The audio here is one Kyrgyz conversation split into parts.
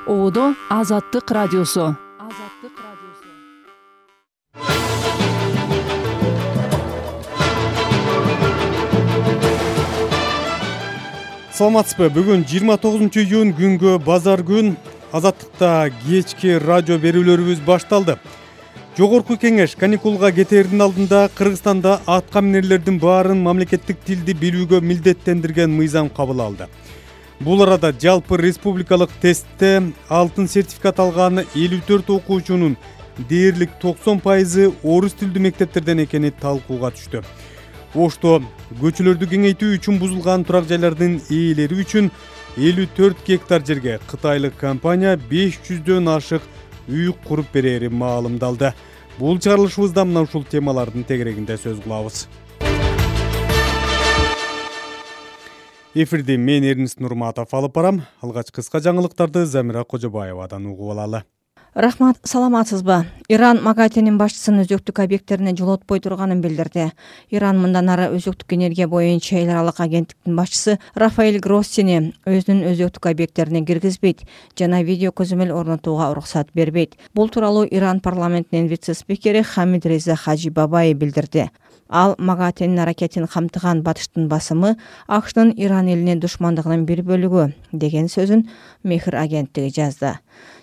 Одо Азаттык радиосу. Саламатсызбы? Бүгүн 29-июнь күнгө базар күн. Азаттыкта кечки радио берүүлөрүбүз башталды. Жогорку кеңеш каникулга кетээрдин алдында Кыргызстанда атка минерлердин баарын мамлекеттик тилди билүүгө милдеттендирген мыйзам кабыл алды. Бул арада жалпы республикалык тестте алтын сертификат алган 54 окуучунун дээрлик 90% орус тилдүү мектептерден экени талкууга түштү. Ошто көчөлөрдү кеңейтүү үчүн бузулган турак жайлардын ээлери үчүн 54 гектар жерге кытайлык компания 500дөн ашык үй куруп берери маалымдалды. Бул чыгарылышыбызда мына ушул темалардын тегерегинде сөз кылабыз. Эфирди мен Эрнис Нурматов алып барам. Алгач кыска жаңылыктарды Замира Кожобаевадан угуп алалы. Рахмат, саламатсызбы? Иран МАГАТЭнин башчысынын өзөктүк объекттерине жолотпой турганын билдирди. Иран мындан ары өзөктүк энергия боюнча эл аралык агенттиктин башчысы Рафаэль Гроссини өзүнүн өзөктүк объекттерине киргизбейт жана видео көзөмөл орнотууга уруксат бербейт. Бул тууралуу Иран парламентинин вице-спикери Хамид Реза Хаджибабай билдирди. Ал МАГАТЭнин аракетин камтыган батыштын басымы АКШнын Иран элине душмандыгынын бир бөлүгү деген сөзүн Мехр агенттиги жазды.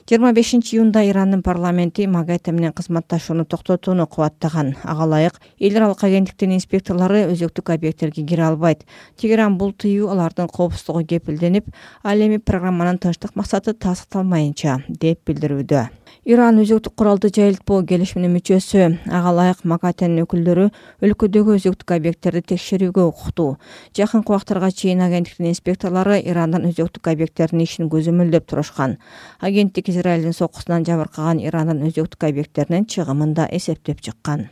25-июнда Ирандын парламенти МАГАТЭ менен кызматташууну токтотууну кубаттаган. Ага ылайык эл аралык агенттиктин инспекторлору өзөктүк объекттерге кире албайт. Тегеран бул тыюу алардын коопсуздугу кепилденип, ал эми программанын тынчтык максаты тастыкталмайынча деп билдирүүдө. Иран өзөктүк куралды жайылтпоо келишиминин мүчөсү. Ага ылайык МАГАТЭнин өкүлдөрү өлкөдөгү өзөктүк объекттерди текшерүүгө укуктуу. Жакынкы убактарга чейин агенттиктин инспекторлору Ирандын өзөктүк объекттеринин ишин көзөмөлдөп турушкан. Агенттик Израилдин соккусунан жабыркаган Ирандын өзөктүк объекттеринин чыгымын да эсептеп чыккан.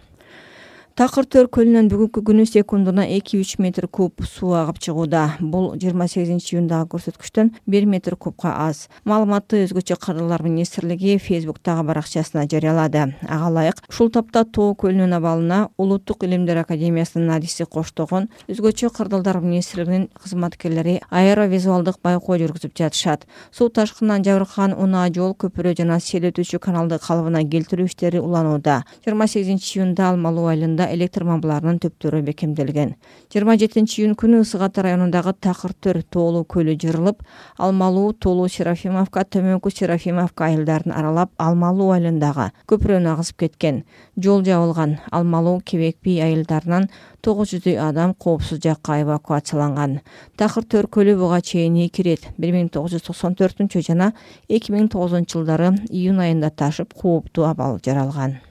Такыр-Төр көлүнөн бүгүнкү күнү секундуна 2-3 метр куб суу агып чыгууда. Бул 28-июндагы көрсөткүчтөн 1 метр кубка аз. Маалыматты өзгөчө кырдырлар министрлиги Facebook'тагы баракчасына жарыялады. Ага ылайык ушул тапта Тоо көлүнүн абалына Улуттук илимдер академиясынын адиси коштогон өзгөчө кырдырлар министрлигинин кызматкерлери аэровизуалдык байкоо жүргүзүп жатышат. Суу ташкынынан жабыркаган унаа жол, көпүрө жана сел өтүүчү каналды калыбына келтирүү иштери уланууда. 28-июнда Алмалуу айылында электр мамбаларынын төптөрү бекемделген. 27-июнь күнү Ысык Ата районундагы Такыр-Төр тоолуу көлү жырылып, Алмалуу, Тоолуу, Серафимовка, Төмөнкү Серафимовка айылдарын аралап Алмалуу айылындагы көпүрөнү агызып кеткен. Жол жабылган. Алмалуу, Кебек би айылдарынан 900 адам коопсуз жакка эвакуацияланган. Такыр-Төр көлү буга чейин эки ирет 1994 жана 2009 жылдары июнь айында ташып кооптуу абал жаралган.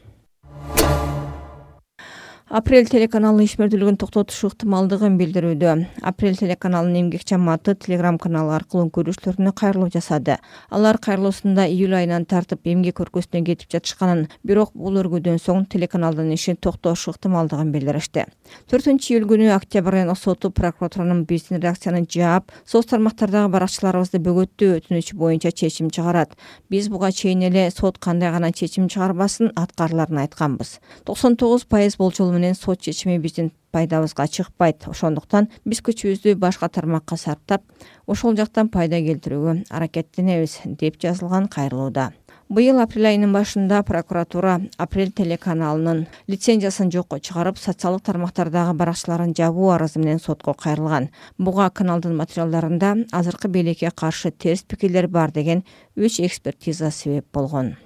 Апрель телеканалы ишмердүүлүгүн токтотушу ыктымалдыгын билдирүүдө. Апрель телеканалынын эмгек жамааты Telegram каналы аркылуу көрүүчүлөрүнө кайрылуу жасады. Алар кайрылуусунда июль айынан тартып эмгек өлкөсүнө кетип жатышканын, бирок бул өргүүдөн соң телеканалдын ишин токтошу ыктымалдыгын билдиришти. 4-июль күнү Октябрь райондук соту прокуратуранын биздин реакцияны жаап, соц тармактардагы баракчыларыбызды бөгөттөө өтүнүчү боюнча чечим чыгарат. Биз буга чейин эле сот кандай гана чечим чыгарбасын аткарыларын айтканбыз. 99% болчолу менен сот чечими биздин пайдабызга чыкпайт. Ошондуктан биз күчүбүздү башка тармакка сарптап, ошол жактан пайда келтирүүгө аракеттенебиз деп жазылган кайрылууда. Быйыл апрель айынын башында прокуратура Апрель телеканалынын лицензиясын жокко чыгарып, социалдык тармактардагы баракчыларын жабуу арызы менен сотко кайрылган. Буга каналдын материалдарында азыркы бийликке каршы терс пикирлер бар деген 3 экспертиза себеп болгон.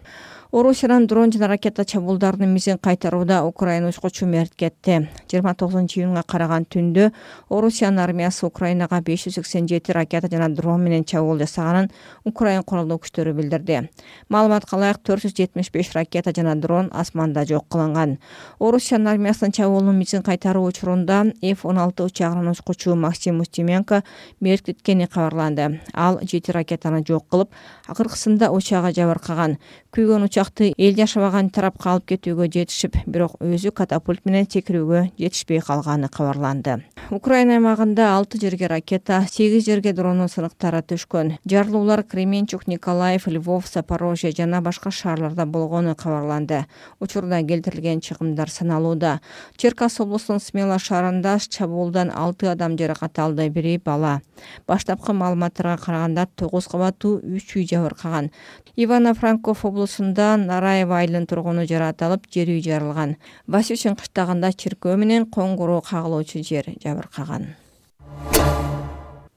Орусиянын дрон жана ракета чабуулдарынын мизин кайтарууда Украина учкучу мерт кетти. 29-июнга караган түндө Орусиянын армиясы Украинага 587 ракета жана дрон менен чабуул жасаганын Украин куралдуу күчтөрү билдирди. Маалыматка ылайык 475 ракета жана дрон асманда жок кылынган. Орусиянын армиясынын чабуулунун мизин кайтаруу учурунда F-16 учагынын учкучу Максим Устименко мерт кеткени кабарланды. Ал 7 ракетаны жок кылып, акыркысында учагы жабыркаган. Күйгөн учакты эл жашабаган тарапка алып кетүүгө жетишип, бирок өзү катапульт менен секирүүгө жетишпей калганы кабарланды. Украина аймагында 6 жерге ракета, 8 жерге дрону сыныктары түшкөн. Жарылуулар Кременчук, Николаев, Львов, Запорожье жана башка шаарларда болгону кабарланды. Учурда келтирилген чыгымдар саналууда. Черкас облусунун Смела шаарында чабуулдан 6 адам жаракат алды, бири бала. Баштапкы маалыматтарга караганда 9 кабаттуу 3 үй жабыркаган. Ивано-Франков облусунда Нараева айылынын тургуну жаракат алып, жер үй жарылган. Васюшин кыштагында чиркөө менен коңгуроо кагылуучу жер жабыркаган.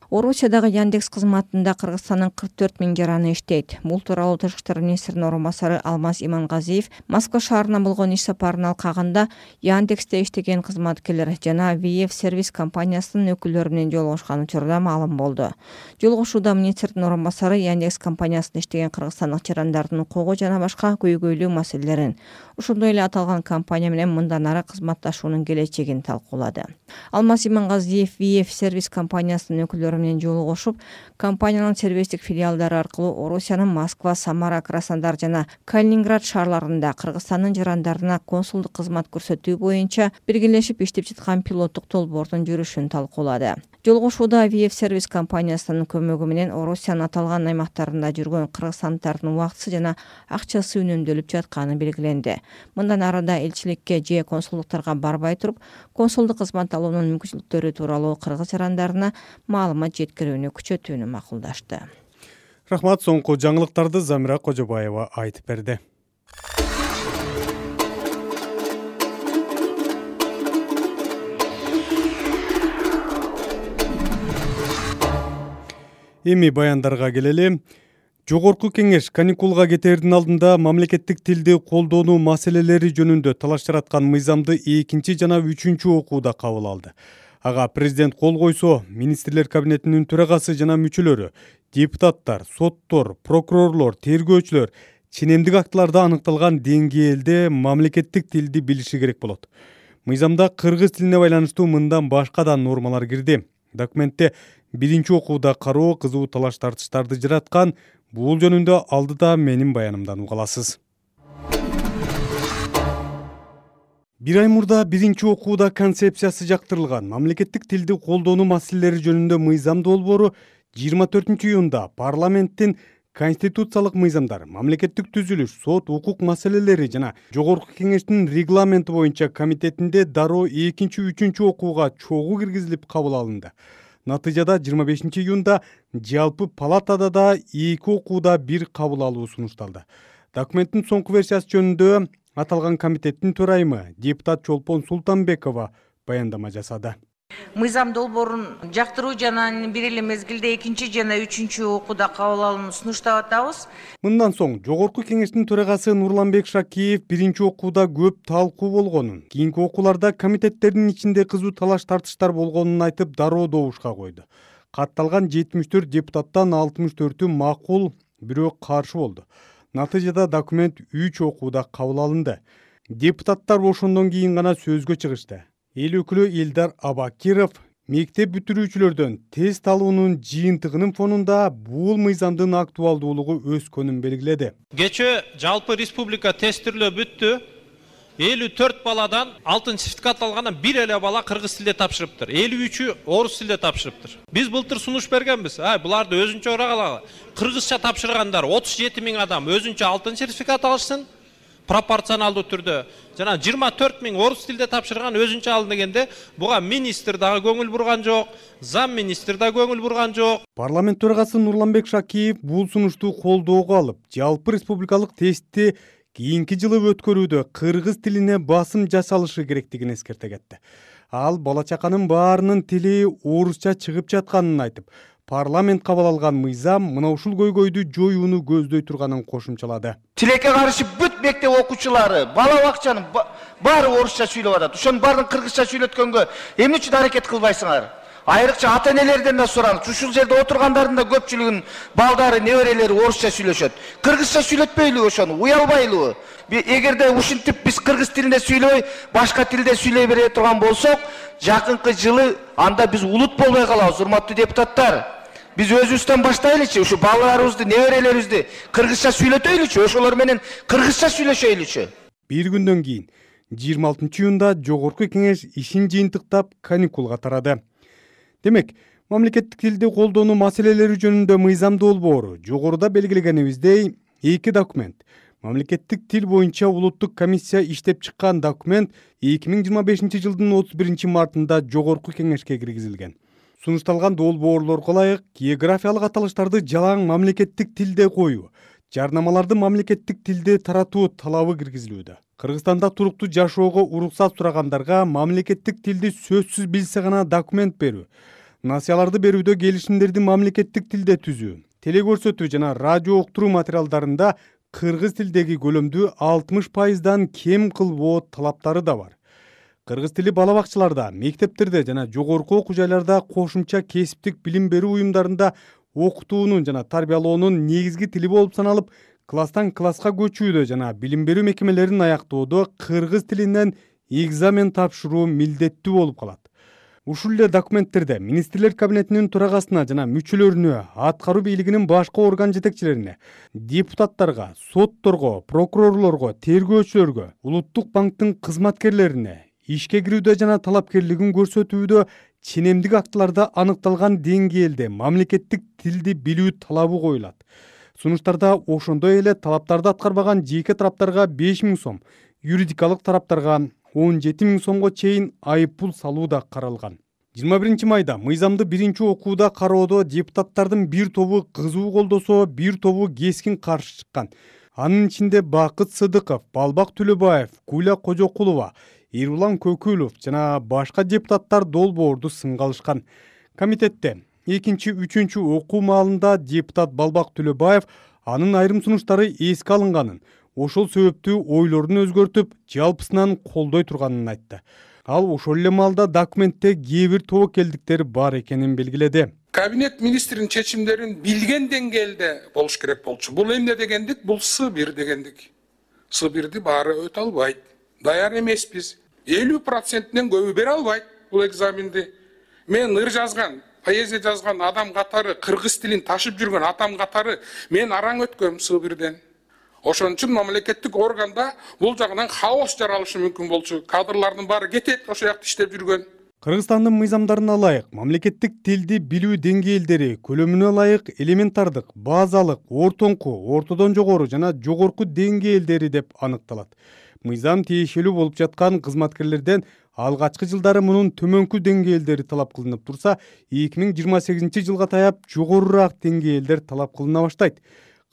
Орусиядагы Яндекс кызматында Кыргызстандын 44 000 жараны иштейт. Бул тууралуу Тышкы иштер министринин орун басары Алмаз Имангазиев Москва шаарына болгон иш сапарын алкагында Яндексте иштеген кызматкерлер жана VF сервис компаниясынын өкүлдөрү менен жолугушкан учурда маалым болду. Жолугушууда министрдин орун басары Яндекс компаниясында иштеген кыргызстандык жарандардын укугу жана башка көйгөйлүү маселелерин, ошондой эле аталган компания менен мындан ары кызматташуунун келечегин талкуулады. Алмаз Имангазиев VF сервис компаниясынын өкүлдөрү менен жолугушуп, компаниянын сервистик филиалдары аркылуу Орусиянын Москва, Самара, Краснодар жана Калининград шаарларында Кыргызстандын жарандарына консулдук кызмат көрсөтүү боюнча биргелешип иштеп жаткан пилоттук долбоордун жүрүшүн талкуулады. Жолугушууда VF сервис компаниясынын көмөгү менен Орусиянын аталган аймактарында жүргөн кыргызстандыктардын убактысы жана акчасы үнөмдөлүп жатканы белгиленди. Мындан ары да элчиликке же консулдуктарга барбай туруп, консулдук кызмат алуунун мүмкүнчүлүктөрү тууралуу кыргыз жарандарына маалымат жеткирүүнү күчөтүүнү макулдашты. Рахмат, соңку жаңылыктарды Замира Кожобаева айтып берди. Эми баяндарга келели. Жогорку кеңеш каникулга кетээрдин алдында мамлекеттик тилди колдонуу маселелери жөнүндө талаш жараткан мыйзамды 2 жана 3 окууда кабыл алды. Ага президент кол койсо, министрлер кабинетинин төрагасы жана мүчөлөрү, депутаттар, соттор, прокурорлор, тергөөчүлөр ченемдик актыларда аныкталган деңгээлде мамлекеттик тилди билиши керек болот. Мыйзамда кыргыз тилине байланыштуу мындан башка да нормалар кирди. Документте биринчи окууда кароо кызуу талаш тартыштарды жараткан. Бул жөнүндө алдыда менин баянымдан уга аласыз. Бир ай мурда биринчи окууда концепциясы жактырылган мамлекеттик тилди колдонуу маселелери жөнүндө мыйзам долбоору 24 июнда парламенттин конституциялык мыйзамдар, мамлекеттик түзүлүш, сот, укук маселелери жана жогорку кеңештин регламенти боюнча комитетинде дароо 2-3 окууга чогуу киргизилип кабыл алынды. Натыйжада 25 июнда жалпы палатада да 2 окууда бир кабыл алуу сунушталды. Документтин соңку версиясы жөнүндө аталган комитеттин төрайымы депутат Чолпон Султанбекова баяндама жасады. Мыйзам долбоорун жактыруу жана бир эле мезгилде 2 жана 3 окууда кабыл алууну сунуштап атабыз. Мындан соң жогорку кеңештин төрагасы Нурланбек Шакиев биринчи окууда көп талкуу болгонун, кийинки окууларда комитеттердин ичинде кызуу талаш тартыштар болгонун айтып, дароо добушка койду. Катталган 74 депутаттан 64-ü макул, бирөө каршы болду. Натыйжада документ 3 окууда кабыл алынды. Депутаттар ошондон кийин гана сөзгө чыгышты. Эл өкүлү Элдар Абакиров мектеп бүтүрүүчүлөрдөн тест алуунун жыйынтыгынын фонунда бул мыйзамдын актуалдуулугу өскөнүн белгиледи. Кече жалпы республика тестирлөө бүттү. 54 баладан алтын сертификат алгандан бир эле бала кыргыз тилде тапшырыптыр. 53-ü орус тилде тапшырыптыр. Биз былтыр сунуш бергенбиз. Буларды өзүнчө урагала. Кыргызча тапшыргандар 37 000 адам өзүнчө алтын сертификат алышсын. Пропорционалдуу түрдө жана 24 000 орус тилде тапшырган өзүнчө алын дегенде буга министр дагы көңүл бурган жок, зам министр да көңүл бурган жок. Парламент төрагасы Нурланбек Шакиев бул сунушту колдоого алып, жалпы республикалык тестти кийинки жылы өткөрүүдө кыргыз тилине басым жасалышы керектигин эскерте кетти. Ал бала чаканын баарынын тили орусча чыгып жатканын айтып, парламент кабыл алган мыйзам мына ушул көйгөйдү жоюуну көздөй турганын кошумчалады. Тилекке каршы бүт мектеп окуучулары, бала бакчанын баары орусча сүйлөп атат. Ошонун баарын кыргызча сүйлөткөнгө эмне үчүн аракет кылбайсыңар? Айрыкча ата энелерден да сураңыз. Ушул жерде отургандардын да көпчүлүгүнүн балдары, неберелери орусча сүйлөшөт. Кыргызча сүйлөтпөйлүбү ошону? Уялбайлыбы? Эгерде ушинтип биз кыргыз тилинде сүйлөбөй, башка тилде сүйлөй бере турган болсок, жакынкы жылы анда биз улут болбой калабыз, урматтуу депутаттар. Биз өзүбүздөн баштайлычы, ушу балаларыбызды, неберелерибизди кыргызча сүйлөтөйлүчү, ошолор менен кыргызча сүйлөшөйлүчү. Bir güндөн кийин 26-июнда Жогорку кеңеш ишин жыйынтыктап каникулга тарады. Демек, мамлекеттик тилди колдонуу маселелери жөнүндө мыйзам долбоору жогоруда белгилегенибиздей эки документ. Мамлекеттик тил боюнча улуттук комиссия иштеп чыккан документ 2025 жылдын 31 мартында Жогорку кеңешке киргизилген. Сунушталган долбоорлорго ылайык географиялык аталыштарды жалаң мамлекеттик тилде коюу, жарнамаларды мамлекеттик тилде таратуу талабы киргизилүүдө. Кыргызстанда туруктуу жашоого уруксат сурагандарга мамлекеттик тилди сөзсүз билсе гана документ берүү, насыяларды берүүдө келишимдерди мамлекеттик тилде түзүү, телекөрсөтүү жана радио уктуруу материалдарында кыргыз тилдеги көлөмдү 60%дан кем кылбоо талаптары да бар. Кыргыз тили бала бакчаларда, мектептерде жана жогорку окуу жайларда кошумча кесиптик билим берүү уюмдарында окутуунун жана тарбиялоонун негизги тили болуп саналып, класстан класска көчүүдө жана билим берүү мекемелерин аяктоодо кыргыз тилинен экзамен тапшыруу милдеттүү болуп калат. Ушул эле документтерде министрлер кабинетинин төрагасына жана мүчөлөрүнө, аткаруу бийлигинин башка орган жетекчилерине, депутаттарга, сотторго, прокурорлорго, тергөөчүлөргө, улуттук банктын кызматкерлерине ишке кирүүдө жана талапкерлигин көрсөтүүдө ченемдик актыларда аныкталган деңгээлде мамлекеттик тилди билүү талабы коюлат. Сунуштарда ошондой эле талаптарды аткарбаган жеке тараптарга 5000 сом, юридикалык тараптарга 17.000 сомго чейин айыппул салуу да каралган. 21 майда мыйзамды биринчи окууда кароодо депутаттардын бир тобу кызуу колдосо, бир тобу кескин каршы чыккан. Анын ичинде Бакыт Сыдыков, Балбак Түлөбаев, Куля Кожокулова, Ирулан Көкүлов жана башка депутаттар долбоорду сынга алышкан. Комитетте 2-3 окуу маалында депутат Балбак Түлөбаев анын айрым сунуштары эске алынганын, ошол себептүү ойлорун өзгөртүп, жалпысынан колдой турганын айтты. Ал ошол эле маалда документте кээ бир тобокелдиктер бар экенин белгиледи. Кабинет министринин чечимдерин билген деңгээлде болуш керек болчу. Бул эмне дегендик? Бул С1 дегендик. С1ди баары өтө албайт. Даяр эмеспиз. 50%-тен көбү бере албайт бул экзаменди. Мен ыр жазган, поэзия жазган адам катары, кыргыз тилин ташып жүргөн адам катары мен араң өткөм С1ден. Ошон үчүн мамлекеттик органда бул жагынан хаос жаралышы мүмкүн болчу. Кадрлардын баары кетет, ошо жакта иштеп жүргөн. Кыргызстандын мыйзамдарына ылайык мамлекеттик тилди билүү деңгээлдери көлөмүнө ылайык элементардык, базалык, ортоңку, ортодон жогору жана жогорку деңгээлдери деп аныкталат. Мыйзам тиешелүү болуп жаткан кызматкерлерден алгачкы жылдары мунун төмөнкү деңгээлдери талап кылынып турса, 2028 жылга таяп жогорураак деңгээлдер талап кылына баштайт.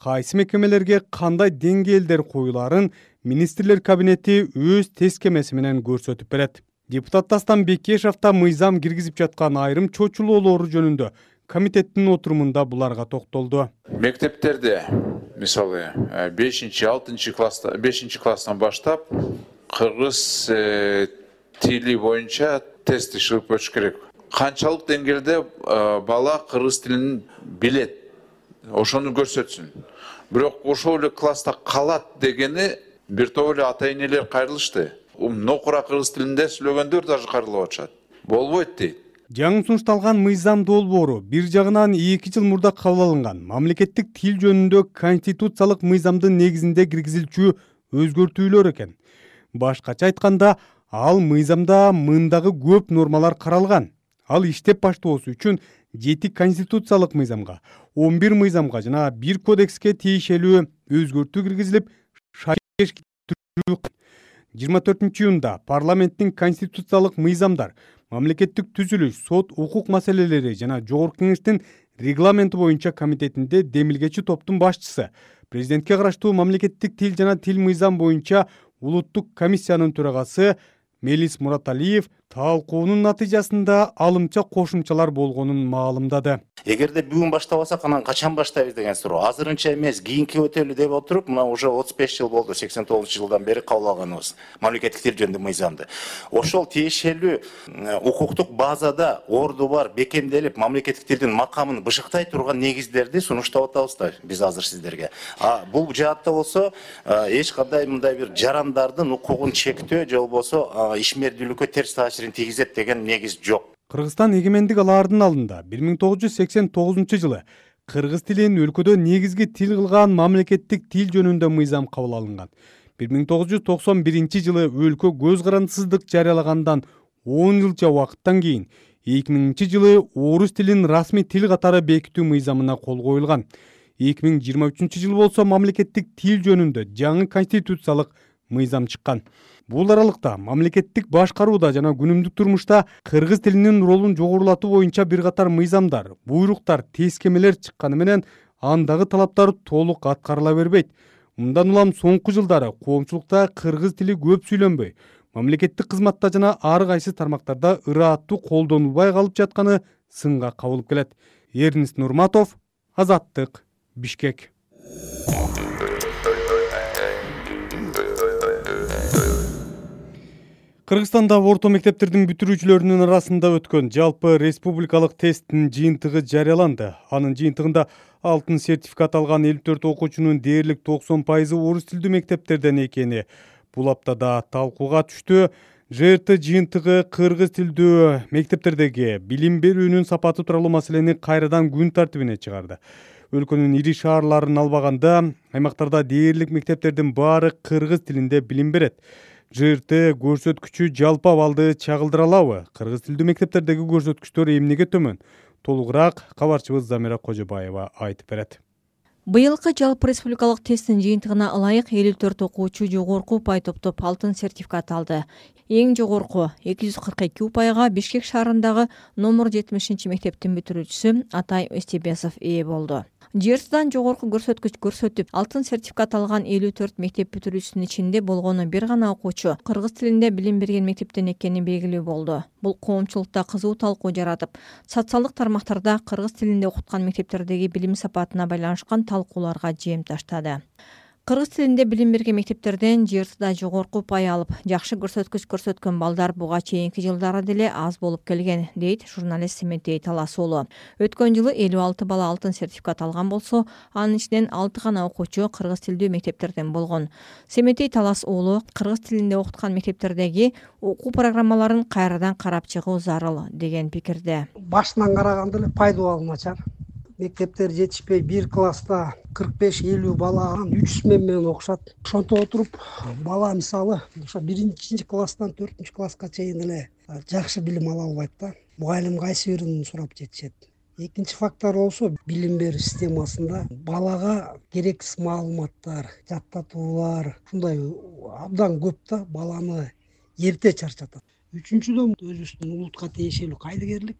Кайсы мекемелерге кандай деңгээлдер коюларын министрлер кабинети өз тескемеси менен көрсөтүп берет. Депутат Дастан Бекешев да мыйзам киргизип жаткан айрым чочулоолору жөнүндө комитеттин отурумунда буларга токтолду. Мектептерде, мисалы, 5-6 класстан баштап кыргыз тили боюнча тест ишип өтүш керек. Канчалык деңгээлде бала кыргыз тилин билет, ошону көрсөтсүн. Бирок ошол эле класста калат дегени бир топ эле ата-энелер кайрылышты. Нокура кыргыз тилинде сүйлөгөндөр даже кайрылып атышат. Болбойт дейт. Жаңы сунушталган мыйзам долбоору бир жагынан 2 жыл мурда кабыл алынган мамлекеттик тил жөнүндө конституциялык мыйзамдын негизинде киргизилчү өзгөртүүлөр экен. Башкача айтканда, ал мыйзамда мындагы көп нормалар каралган. Ал иштеп баштоосу үчүн 7 конституциялык мыйзамга, 11 мыйзамга жана 1 кодекске тиешелүү өзгөртүү киргизилип, 24-июнда парламенттин конституциялык мыйзамдар, мамлекеттик түзүлүш, сот, укук маселелери жана жогорку кеңештин регламенти боюнча комитетинде демилгечи топтун башчысы, президентке караштуу мамлекеттик тил жана тил мыйзам боюнча улуттук комиссиянын төрагасы Мелис Мураталиев талкуунун натыйжасында алымча кошумчалар болгонун маалымдады. Эгерде бүгүн баштабасак, анан качан баштайбыз деген суроо. Азырынча эмес, кийинки өтөлү деп отуруп, мына уже 35 жыл болду, 89 жылдан бери кабыл алганыбыз мамлекеттик тил жөнүндө мыйзамды. Ошол тиешелүү укуктук базада орду бар, бекемделип, мамлекеттик тилдин макамын бышыктай турган негиздерди сунуштап атабыз да биз азыр сиздерге. Бул жаатта болсо эч кандай мындай бир жарандардын укугун чектөө же болбосо ишмердүүлүккө терс таасирин тийгизет деген негиз жок. Кыргызстан эгемендик алаардын алдында 1989-жылы кыргыз тилин өлкөдө негизги тил кылган мамлекеттик тил жөнүндө мыйзам кабыл алынган. 1991-жылы өлкө көз карандысыздык жарыялагандан 10 жылча убакыттан кийин 2000-жылы орус тилин расмий тил катары бекитүү мыйзамына кол коюлган. 2023-жылы болсо мамлекеттик тил жөнүндө жаңы конституциялык мыйзам чыккан. Бул аралыкта мамлекеттик башкарууда жана күнүмдүк турмушта кыргыз тилинин ролун жогорулатуу боюнча бир катар мыйзамдар, буйруктар, тескемелер чыкканы менен андагы талаптар толук аткарыла бербейт. Мындан улам соңку жылдары коомчулукта кыргыз тили көп сүйлөнбөй, мамлекеттик кызматта жана ар кайсы тармактарда ырааттуу колдонулбай калып жатканы сынга кабылып келет. Эрнест Нурматов, Азаттык, Бишкек. Кыргызстанда орто мектептердин бүтүрүүчүлөрүнүн арасында өткөн жалпы республикалык тесттин жыйынтыгы жарыяланды. Анын жыйынтыгында алтын сертификат алган 54 окуучунун дээрлик 90% орус тилдүү мектептерден экени бул аптада талкууга түштү. ЖРТ жыйынтыгы кыргыз тилдүү мектептердеги билим берүүнүн сапаты тууралуу маселени кайрадан күн тартибине чыгарды. Өлкөнүн ири шаарларын албаганда аймактарда дээрлик мектептердин баары кыргыз тилинде билим берет. ЖРТ көрсөткүчү жалпы абалды чагылдыра алабы? Кыргыз тилдүү мектептердеги көрсөткүчтөр эмнеге төмөн? Толугураак кабарчыбыз Замира Кожобаева айтып берет. Быйылкы жалпы республикалык тесттин жыйынтыгына ылайык 54 окуучу жогорку упай топтоп алтын сертификат алды. Эң жогорку 242 упайга Бишкек шаарындагы номер 70 мектептин бүтүрүүчүсү Атай Остебесов ээ болду. ЖРТдан жогорку көрсөткүч көрсөтүп, алтын сертификат алган 54 мектеп бүтүрүүчүсүнүн ичинде болгону бир гана окуучу кыргыз тилинде билим берген мектептен экени белгилүү болду. Бул коомчулукта кызуу талкуу жаратып, социалдык тармактарда кыргыз тилинде окуткан мектептердеги билим сапатына байланышкан талкууларга жем таштады. Кыргыз тилинде билим берген мектептерден ЖРТда жогорку упай алып, жакшы көрсөткүч көрсөткөн балдар буга чейинки жылдары деле аз болуп келген, дейт журналист Семетей Талас уулу. Өткөн жылы 56 бала алтын сертификат алган болсо, анын ичинен 6 гана окуучу кыргыз тилдүү мектептерден болгон. Семетей Талас уулу кыргыз тилинде окуткан мектептердеги окуу программаларын кайрадан карап чыгуу зарыл деген пикирде. Башынан караганда эле пайдалуу начар. Мектептер жетишпей, бир класста 45-50 бала 3 менен окушат. Ошонто отуруп, бала мисалы, ошо 1-чи класстан 4-чү класска чейин эле жакшы билим ала албайт да. Мугалим кайсы бирин сурап жетишет. Экинчи фактор болсо, билим берүү системасында балага керексиз маалыматтар, жаттатуулар, ушундай абдан көп да, баланы эрте чарчатат. Үчүнчүдөн өзүбүздүн улутка тиешелүү кайдыгерлик,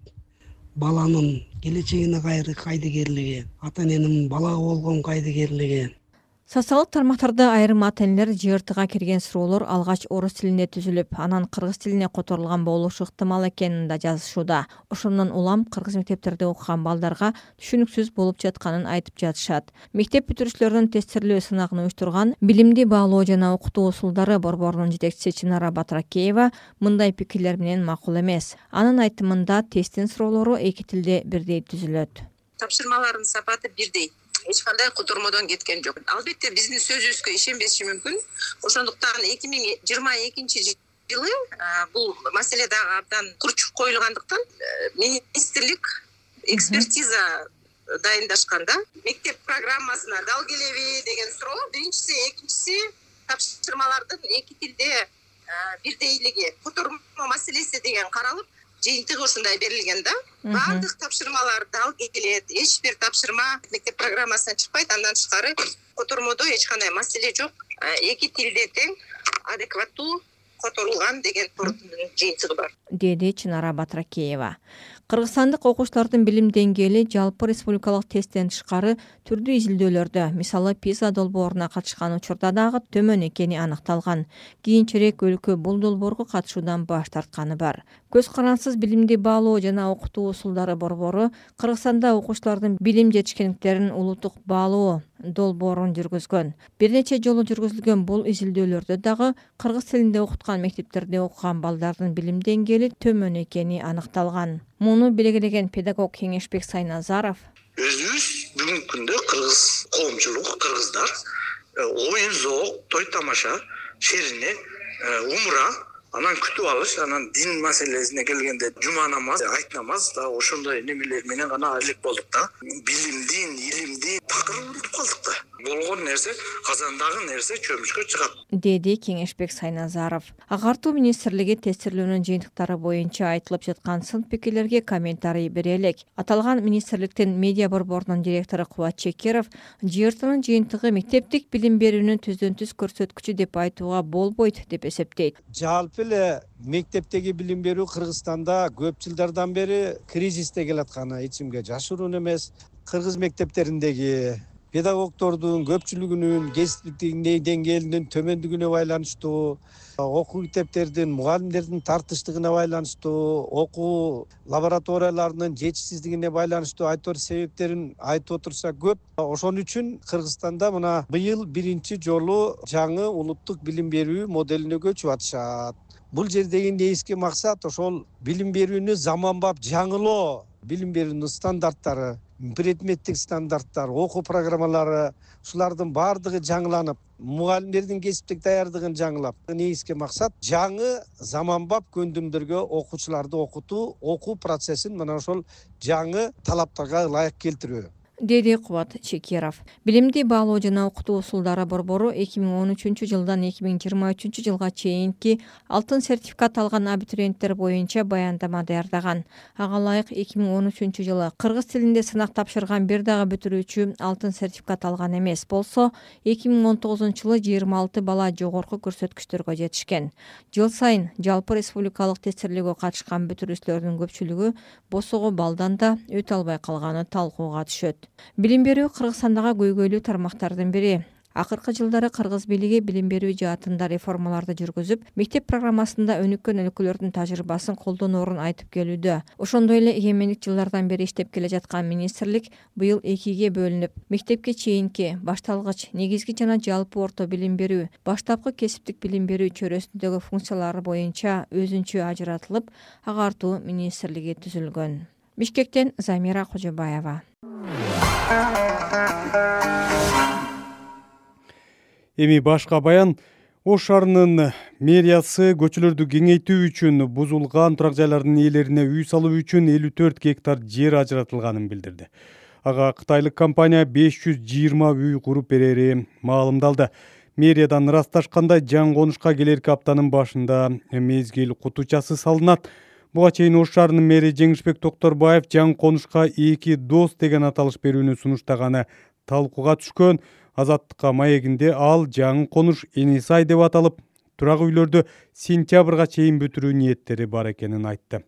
баланын келечегине кайдыгерлиги, ата эненин балага болгон кайдыгерлиги. Социалдык тармактарда айрым ата-энелер ЖРТга кирген суроолор алгач орус тилинде түзүлүп, анан кыргыз тилине которулган болушу ыктымал экенин да жазышууда. Ошондон улам кыргыз мектептерде окуган балдарга түшүнүксүз болуп жатканын айтып жатышат. Мектеп бүтүрүүчүлөрүнүн тестирлөө сынагын уюштурган Билимди баалоо жана окутуу усулдары борборунун жетекчиси Чынара Батыракеева мындай пикирлер менен макул эмес. Анын айтымында тесттин суроолору эки тилде бирдей түзүлөт. Тапшырмалардын сапаты бирдей. Эч кандай котормодон кеткен жок. Албетте биздин сөзүбүзгө ишенбеши мүмкүн. Ошондуктан 2022 жылы бул маселе дагы абдан курчуп коюлгандыктан министрлик экспертиза дайындашканда мектеп программасына дал келеби деген суроо. Биринчиси, экинчиси тапшырмалардын эки тилде бирдейлиги, котормо маселеси деген каралып, жыйынтыгы ушундай берилген да. Баардык тапшырмалар дал келет, эч бир тапшырма мектеп программасынан чыкпайт, андан тышкары котормодо эч кандай маселе жок. Эки тилде тең адекваттуу которулган деген жыйынтыгы бар, деди Чынара Батыракеева. Кыргызстандык окуучулардын билим деңгээли жалпы республикалык тесттен тышкары түрдүү изилдөөлөрдө, мисалы PISA долбооруна катышкан учурда дагы төмөн экени аныкталган. Кийинчерээк өлкө бул долбоорго катышуудан баш тартканы бар. Көз карансыз билимди баалоо жана окутуу усулдары борбору Кыргызстанда окуучулардын билим жетишкендиктерин улуттук баалоо долбоорун жүргүзгөн. Бир нече жолу жүргүзүлгөн бул изилдөөлөрдө дагы кыргыз тилинде окуткан мектептерде окуган балдардын билим деңгээли төмөн экени аныкталган. Муну белгилеген педагог Кеңешбек Сайназаров: өзүбүз бүгүнкү күндө кыргыз коомчулук, кыргыздар оюн зоок, той тамаша, шерине, умра Анан күтүп алыш, анан дин маселесине келгенде жума намаз, айт намаз да ошондой немелер менен гана элек болдук да. Билимдин, илимдин такыр унутуп калдык да. Болгон нерсе, казандагы нерсе чөмүшкө чыгат, деди Кеңешбек Сайназаров. Агартуу министрлиги тестирлөөнүн жыйынтыктары боюнча айтылып жаткан сын пикирлерге комментарий бере элек. Аталган министрликтин медиа борборунун директору Кубат Чекеров ЖРТнын жыйынтыгы мектептик билим берүүнүн түздөн түз көрсөткүчү деп айтууга болбойт деп эсептейт. Жалпы эле мектептеги билим берүү Кыргызстанда көп жылдардан бери кризисте келатканы ичимге жашыруун эмес. Кыргыз мектептериндеги педагогдордун көпчүлүгүнүн кесиптик деңгээлинин төмөндүгүнө байланыштуу, окуу китептердин, мугалимдердин тартыштыгына байланыштуу, окуу лабораторияларынын жетишсиздигине байланыштуу айтор себептерин айтып отурса көп. Ошон үчүн Кыргызстанда мына быйыл биринчи жолу жаңы улуттук билим берүү моделине көчүп атышат. Бул жердеги негизги максат ошол билим берүүнү заманбап жаңылоо, билим берүүнүн стандарттары, предметтик стандарттар, окуу программалары, ушулардын баардыгы жаңыланып, мугалимдердин кесиптик даярдыгын жаңылап, негизги максат жаңы заманбап көндүмдөргө окуучуларды окутуу, окуу процессин мына ошол жаңы талаптарга ылайык келтирүү, деди Кубат Чекеров. Билимди баалоо жана окутуу усулдары борбору 2013 жылдан 2023 жылга чейинки алтын сертификат алган абитуриенттер боюнча баяндама даярдаган. Ага ылайык 2013 жылы кыргыз тилинде сынак тапшырган бир дагы бүтүрүүчү алтын сертификат алган эмес болсо, 2019 жылы 26 бала жогорку көрсөткүчтөргө жетишкен. Жыл сайын жалпы республикалык тестирлөөгө катышкан бүтүрүүчүлөрдүн көпчүлүгү босого балдан да өтө албай калганы талкууга түшөт. Билим берүү Кыргызстандагы көйгөйлүү тармактардын бири. Акыркы жылдары кыргыз бийлиги билим берүү жаатында реформаларды жүргүзүп, мектеп программасында өнүккөн өлкөлөрдүн тажрыйбасын колдоноорун айтып келүүдө. Ошондой эле эгемендик жылдардан бери иштеп келе жаткан министрлик быйыл экиге бөлүнүп, мектепке чейинки, башталгыч, негизги жана жалпы орто билим берүү, баштапкы кесиптик билим берүү чөйрөсүндөгү функциялары боюнча өзүнчө ажыратылып, агартуу министрлиги түзүлгөн. Бишкектен Замира Кожобаева. Эми башка баян. Ош шаарынын мэриясы көчөлөрдү кеңейтүү үчүн бузулган турак жайлардын ээлерине үй салуу үчүн 54 гектар жер ажыратылганын билдирди. Ага кытайлык компания 520 үй куруп берери маалымдалды. Мэриядан ырасташкандай жаңы конушка келерки аптанын башында мезгил кутучасы салынат. Буга чейин Ош шаарынын мэри Жеңишбек Токторбаев жаңы конушка 2 дос деген аталыш берүүнү сунуштаганы талкууга түшкөн. Азаттыкка маегинде ал жаңы конуш Энисай деп аталып, турак үйлөрдү сентябрга чейин бүтүрүү ниеттери бар экенин айтты.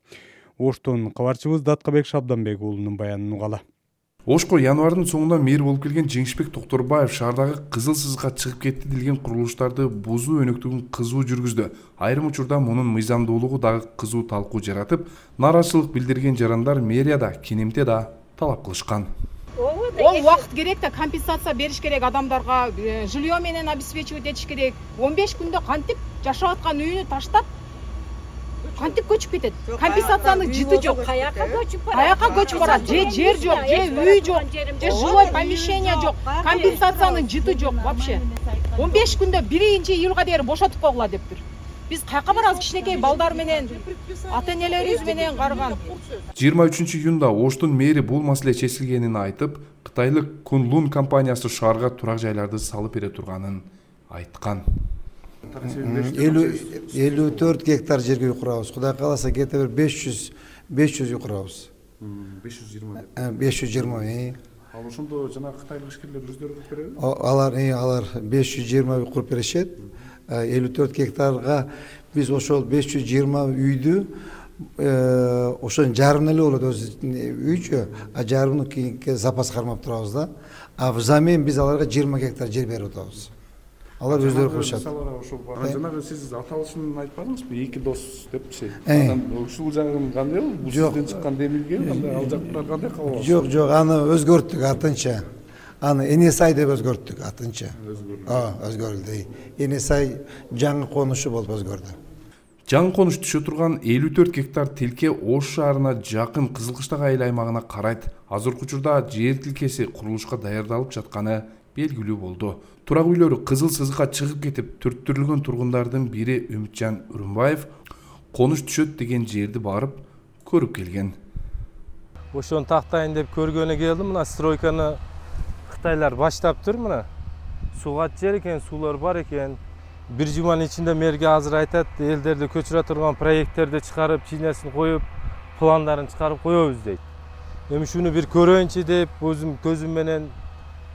Оштон кабарчыбыз Даткабек Шабданбек уулунун баянын угалы. Ошко январдын соңунда мэр болуп келген Жеңишбек Токторбаев шаардагы кызыл сызыкка чыгып кетти делген курулуштарды бузуу өнүктүгүн кызуу жүргүздү. Айрым учурда мунун мыйзамдуулугу дагы кызуу талкуу жаратып, нааразычылык билдирген жарандар мэрияда кенемте да талап кылышкан. Ол убакыт керек да, компенсация бериш керек адамдарга, жилье менен обеспечивать этиш керек. 15 күндө кантип жашап аткан үйүнү таштап, кантип көчүп кетет? Компенсациянын жыты жок. Каяка көчүп барат? Же жер жок, же үй жок, же жилой помещение жок. Компенсациянын жыты жок вообще. 15 күндө 1-июлга дейин бошотуп койгула дептир. Биз каяка барабыз кичинекей балдар менен, ата-энелерибиз менен карган. 23-июнда Оштун мэри бул маселе чечилгенин айтып, кытайлык Kunlun компаниясы шаарга турак жайларды салып бере турганын айткан. 54 гектар жерге үй курабыз. Кудай кааласа кете бир 500 үй курабыз. 520. Ал ошондо жана кытайлык ишкерлер өздөрү куруп береби? Алар 520 үй куруп беришет. 54 гектарга биз ошол 520 үйдү ошонун жарымын эле болот өзү үйчү, а жарымын кийинки запас кармап турабыз да. А взамен биз аларга 20 гектар жер берип атабыз. Алар өздөрү кылышат. Жанагы сиз аталышын айтпадыңызбы? 2 дос депчи. Ушул жагын кандай болду? Бул сизден чыккан демилге кандай? Ал жактар кандай кабыл? Жок, аны өзгөрттүк артынча. Аны Энисай деп өзгөрттүк артынча. Өзгөрүлдү. Энисай жаңы конушу болуп өзгөрдү. Жаңы конуш түшө турган 54 гектар тилке Ош шаарына жакын Кызылкыштак айыл аймагына карайт. Азыркы учурда жер тилкеси курулушка даярдалып жатканы белгилүү болду. Турак үйлөрү кызыл сызыкка чыгып кетип, түрттүрүлгөн тургундардын бири Үмүтжан Үрүмбаев конуш түшөт деген жерди барып көрүп келген. Ошону тактайын деп көргөнү келдим. Мына стройканы Кытайлар баштаптыр. Мына сугат жер экен, суулар бар экен. Бир жуманын ичинде мэрге азыр айтат, элдерди көчүрө турган проекттерди чыгарып, чинесин коюп, пландарын чыгарып коебуз дейт. Эми шуну бир көрөйүнчү деп, өзүм көзүм менен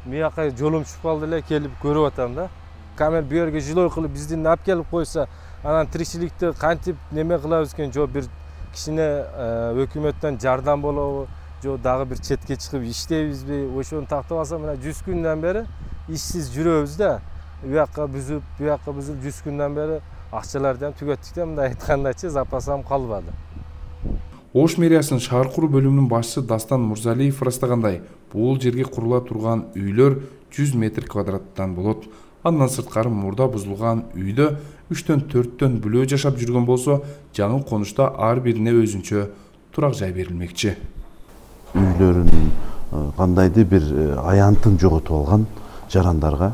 мияка жолум чыгып калды эле, келип көрүп атам да. Камер бу жерге жилой кылып биздин алып келип койсо, анан тиричиликти кантип неме кылабыз экен, жок бир кичине өкмөттөн жардам болобу, жок дагы бир четке чыгып иштейбизби, ошону тактап алсам, мына 100 күндөн бери ишсиз жүрөбүз да. Буякка бүзүп, 100 күндөн бери акчаларды ham түгөттүк да, мындай айткандачы запасам калбады. Ош мэриясынын шаар куруу бөлүмүнүн башчысы Дастан Мурзалиев ырастагандай, бул жерге курула турган үйлөр 100 метр квадраттан болот. Андан сырткары мурда бузулган үйдө 3-төн 4төн бүлөө жашап жүргөн болсо, жаңы конушта ар бирине өзүнчө турак жай берилмекчи. Үйлөрүнүн кандайдыр бир аянтын жоготуп алган жарандарга,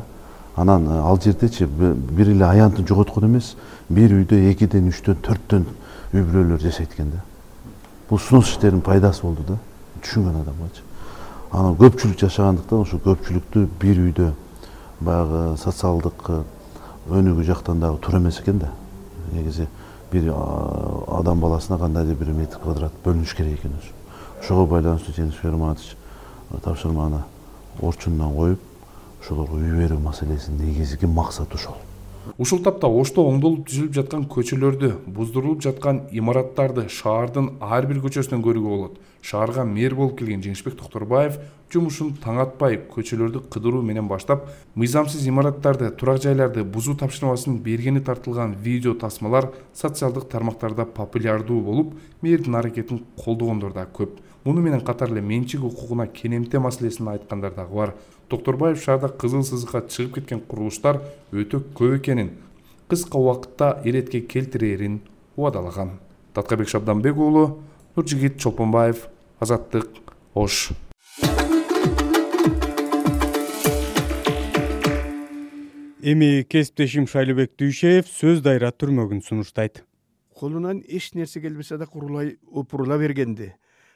анан ал жердечи бир эле аянтын жоготкон эмес, бир үйдө 2-ден 3төн 4төн үй бүлөлөр жашайт экен да. Бул сунуш иштеринин пайдасы болду да, түшүнгөн адамгачы. Анан көпчүлүк жашагандыктан ошо көпчүлүктү бир үйдө баягы социалдык өнүгүү жактан дагы туура эмес экен да. Негизи бир адам баласына кандайдыр бир метр квадрат бөлүнүш керек экен ошо. Ошого байланыштуу Жеңиш Ферманович тапшырманы орчундон коюп, ошолорго үй берүү маселесинин негизги максаты ошол. Ушул тапта Ошто оңдолуп түзүлүп жаткан көчөлөрдү, буздурулуп жаткан имараттарды шаардын ар бир көчөсүнөн көрүүгө болот. Шаарга мэр болуп келген Жеңишбек Токторбаев жумушун таң атпай көчөлөрдү кыдыруу менен баштап, мыйзамсыз имараттарды, турак жайларды бузуу тапшырмасын бергени тартылган видео тасмалар социалдык тармактарда популярдуу болуп, мэрдин аракетин колдогондор да көп. Муну менен катар эле менчик укугуна кенемте маселесин айткандар дагы бар. Токторбаев шаарда кызыл сызыкка чыгып кеткен курулуштар өтө көп экенин, кыска убакытта иретке келтирерин убадалаган. Таткабек Шабданбек уулу, Нуржигит Чолпонбаев, Азаттык, Ош. Эми кесиптешим Шайлыбек Дүйшеев сөз дайра түрмөгүн сунуштайт. Колунан эч нерсе келбесе да курулай опурула бергенди.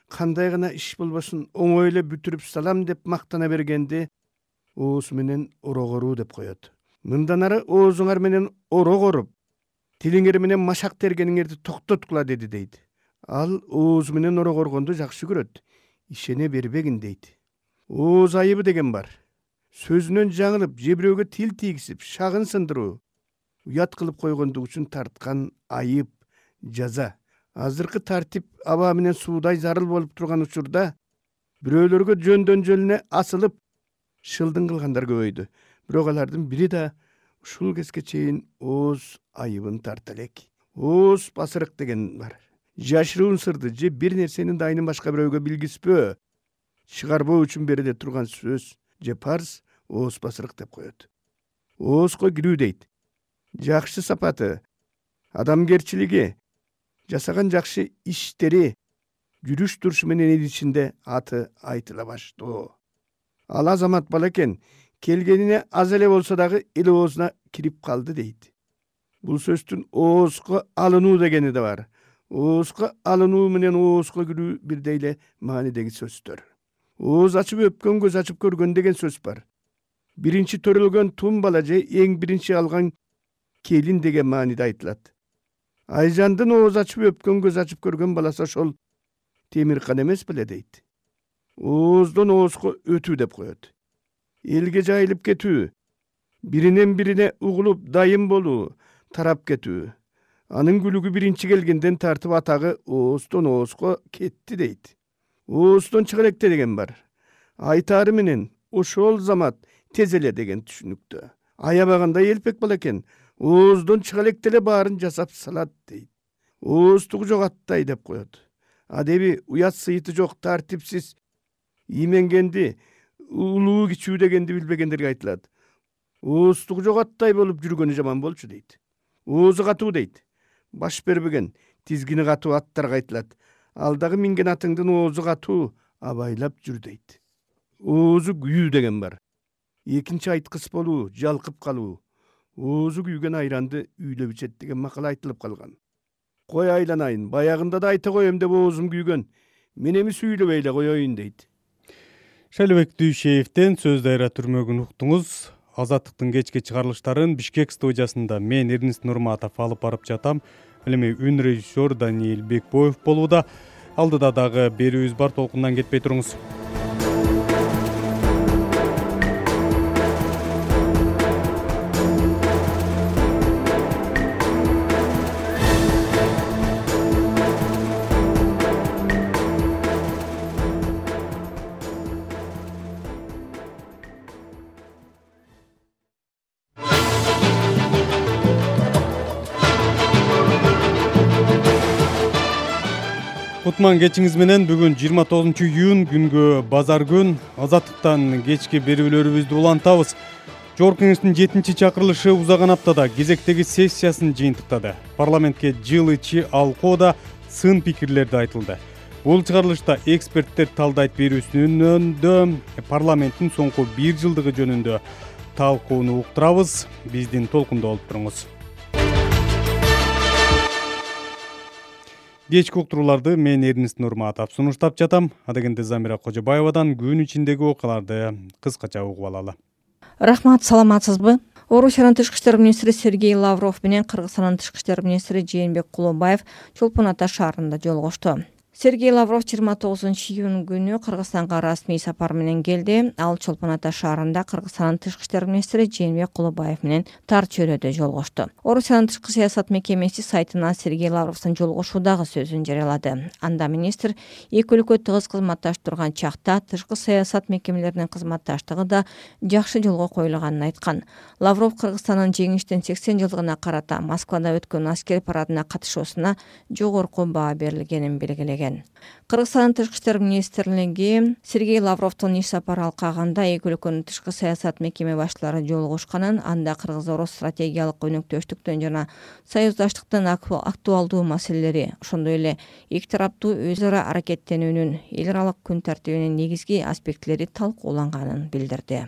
Кандай гана иш болбосун оңой эле бүтүрүп салам деп мактана бергенди ооз менен орогоруу деп коет. Мындан ары оозуңар менен орогоруп, тилиңер менен машак тергениңерди токтоткула деди дейт. Ал ооз менен орогоргонду жакшы көрөт. Ишене бербегин дейт. Ооз айыбы деген бар. Сөзүнөн жаңылып, же бирөөгө тил тийгизип, шагын сындыруу, уят кылып койгондугу үчүн тарткан айып, жаза. Азыркы тартип аба менен суудай зарыл болуп турган учурда бирөөлөргө жөндөн жөлүнө асылып шылдың кылгандар көбөйдү. Бирок алардын бири да ушул кезге чейин ооз айыбын тарта элек. Ооз басырык деген бар. Жашыруун сырды же бир нерсенин дайынын башка бирөөгө билгизбөө, чыгарбоо үчүн бериле турган сөз же парз ооз басырык деп коет. Оозго кирүү дейт. Жакшы сапаты, адамгерчилиги, жасаган жакшы иштери, жүрүш турушу менен эл ичинде аты айтыла баштоо. Ал азамат бала экен, келгенине аз эле болсо дагы эл оозуна кирип калды дейт. Бул сөздүн оозго алынуу дегени да бар. Оозго алынуу менен оозго кирүү бирдей эле маанидеги сөздөр. Ооз ачып өпкөн көз ачып көргөн деген сөз бар. Биринчи төрөлгөн тум бала же эң биринчи алган келин деген мааниде айтылат. Айжандын ооз ачып өпкөн көз ачып көргөн баласы ошол Темиркан эмес беле дейт. Ооздон оозго өтүү деп коет. Элге жайылып кетүү, биринен бирине угулуп дайым болуу, тарап кетүү. Анын күлүгү биринчи келгенден тартып атагы ооздон оозго кетти дейт. Ооздон чыга электе деген бар. Айтары менен ошол замат тез эле деген түшүнүктө. Аябагандай элпек бала экен, ооздон чыга электе эле баарын жасап салат дейт. Ооздугу жогаттай деп коет. Адеби уят сыйыты жок, тартипсиз, именгенди, улуу кичүү дегенди билбегендерге айтылат. Ооздугу жогаттай болуп жүргөнү жаман болчу дейт. Оозу катуу дейт. Баш бербеген, тизгини катуу аттарга айтылат. Ал дагы минген атыңдын оозу катуу, абайлап жүр дейт. Оозу күйүү деген бар. экинчи айткыс болуу, жалкып калуу, оозу күйгөн айранды үйлөп ичет деген макал айтылып калган. Кой айланайын, баягында да айта коем деп оозум күйгөн. Мен эми сүйлөбөй эле коеюн дейт. Шайлыбек Дүйшеевден сөз дайра түрмөгүн уктуңуз. Азаттыктын кечки чыгарылыштарын Бишкек студиясында мен Эрнест Нурматов алып барып жатам. Эми үн режиссер Даниил Бекбоев болууда. Алдыда дагы берүүбүз бар, толкундан кетпей туруңуз. Кутман кечиңиз менен бүгүн 29 июнь күнгө базар күн. Азаттыктан кечки берүүлөрүбүздү улантабыз. Жогорку Кеңештин 7-чакырылышы узаган аптада кезектеги сессиясын жыйынтыктады. Парламентке жыл ичи алкоодо сын пикирлерди айтылды. Бул чыгарылышта эксперттер талдайт берүүсүнөн парламенттин соңку 1 жылдыгы жөнүндө талкууну уктурабыз. Биздин толкунда болуп туруңуз. Кечки уктурууларды мен Эрнест Нурматов сунуштап жатам. Адегенде Замира Кожобаевадан күн ичиндеги окуяларды кыскача угуп алалы. Рахмат, саламатсызбы? Орусиянын тышкы иштер министри Сергей Лавров менен Кыргызстандын тышкы иштер министри Жээнбек Кулубаев Чолпон Ата шаарында жолугушту. Сергей Лавров 29 июнь күнү Кыргызстанга расмий сапар менен келди. Ал Чолпон Ата шаарында Кыргызстандын тышкы иштер министри Жээнбек Кулубаев менен тар чөйрөдө жолугушту. Орусиянын тышкы саясат мекемеси сайтына Сергей Лавровдун жолугушуудагы сөзүн жарыялады. Анда министр эки өлкө тыгыз кызматташып турган чакта тышкы саясат мекемелеринин кызматташтыгы да жакшы жолго коюлганын айткан. Лавров Кыргызстандын жеңиштин 80 жылдыгына карата Москвада өткөн аскер парадына катышуусуна жогорку баа берилгенин белгилеген. Кыргызстандын тышкы иштер министрлиги Сергей Лавровдун иш сапары алкагында эки өлкөнүн тышкы саясат мекеме башчылары жолугушканын, анда кыргыз-орус стратегиялык өнөктөштүктөн жана союздаштыктын актуалдуу маселелери, ошондой эле эки тараптуу өз ара аракеттенүүнүн эл аралык күн тартибинин негизги аспектилери талкууланганын билдирди.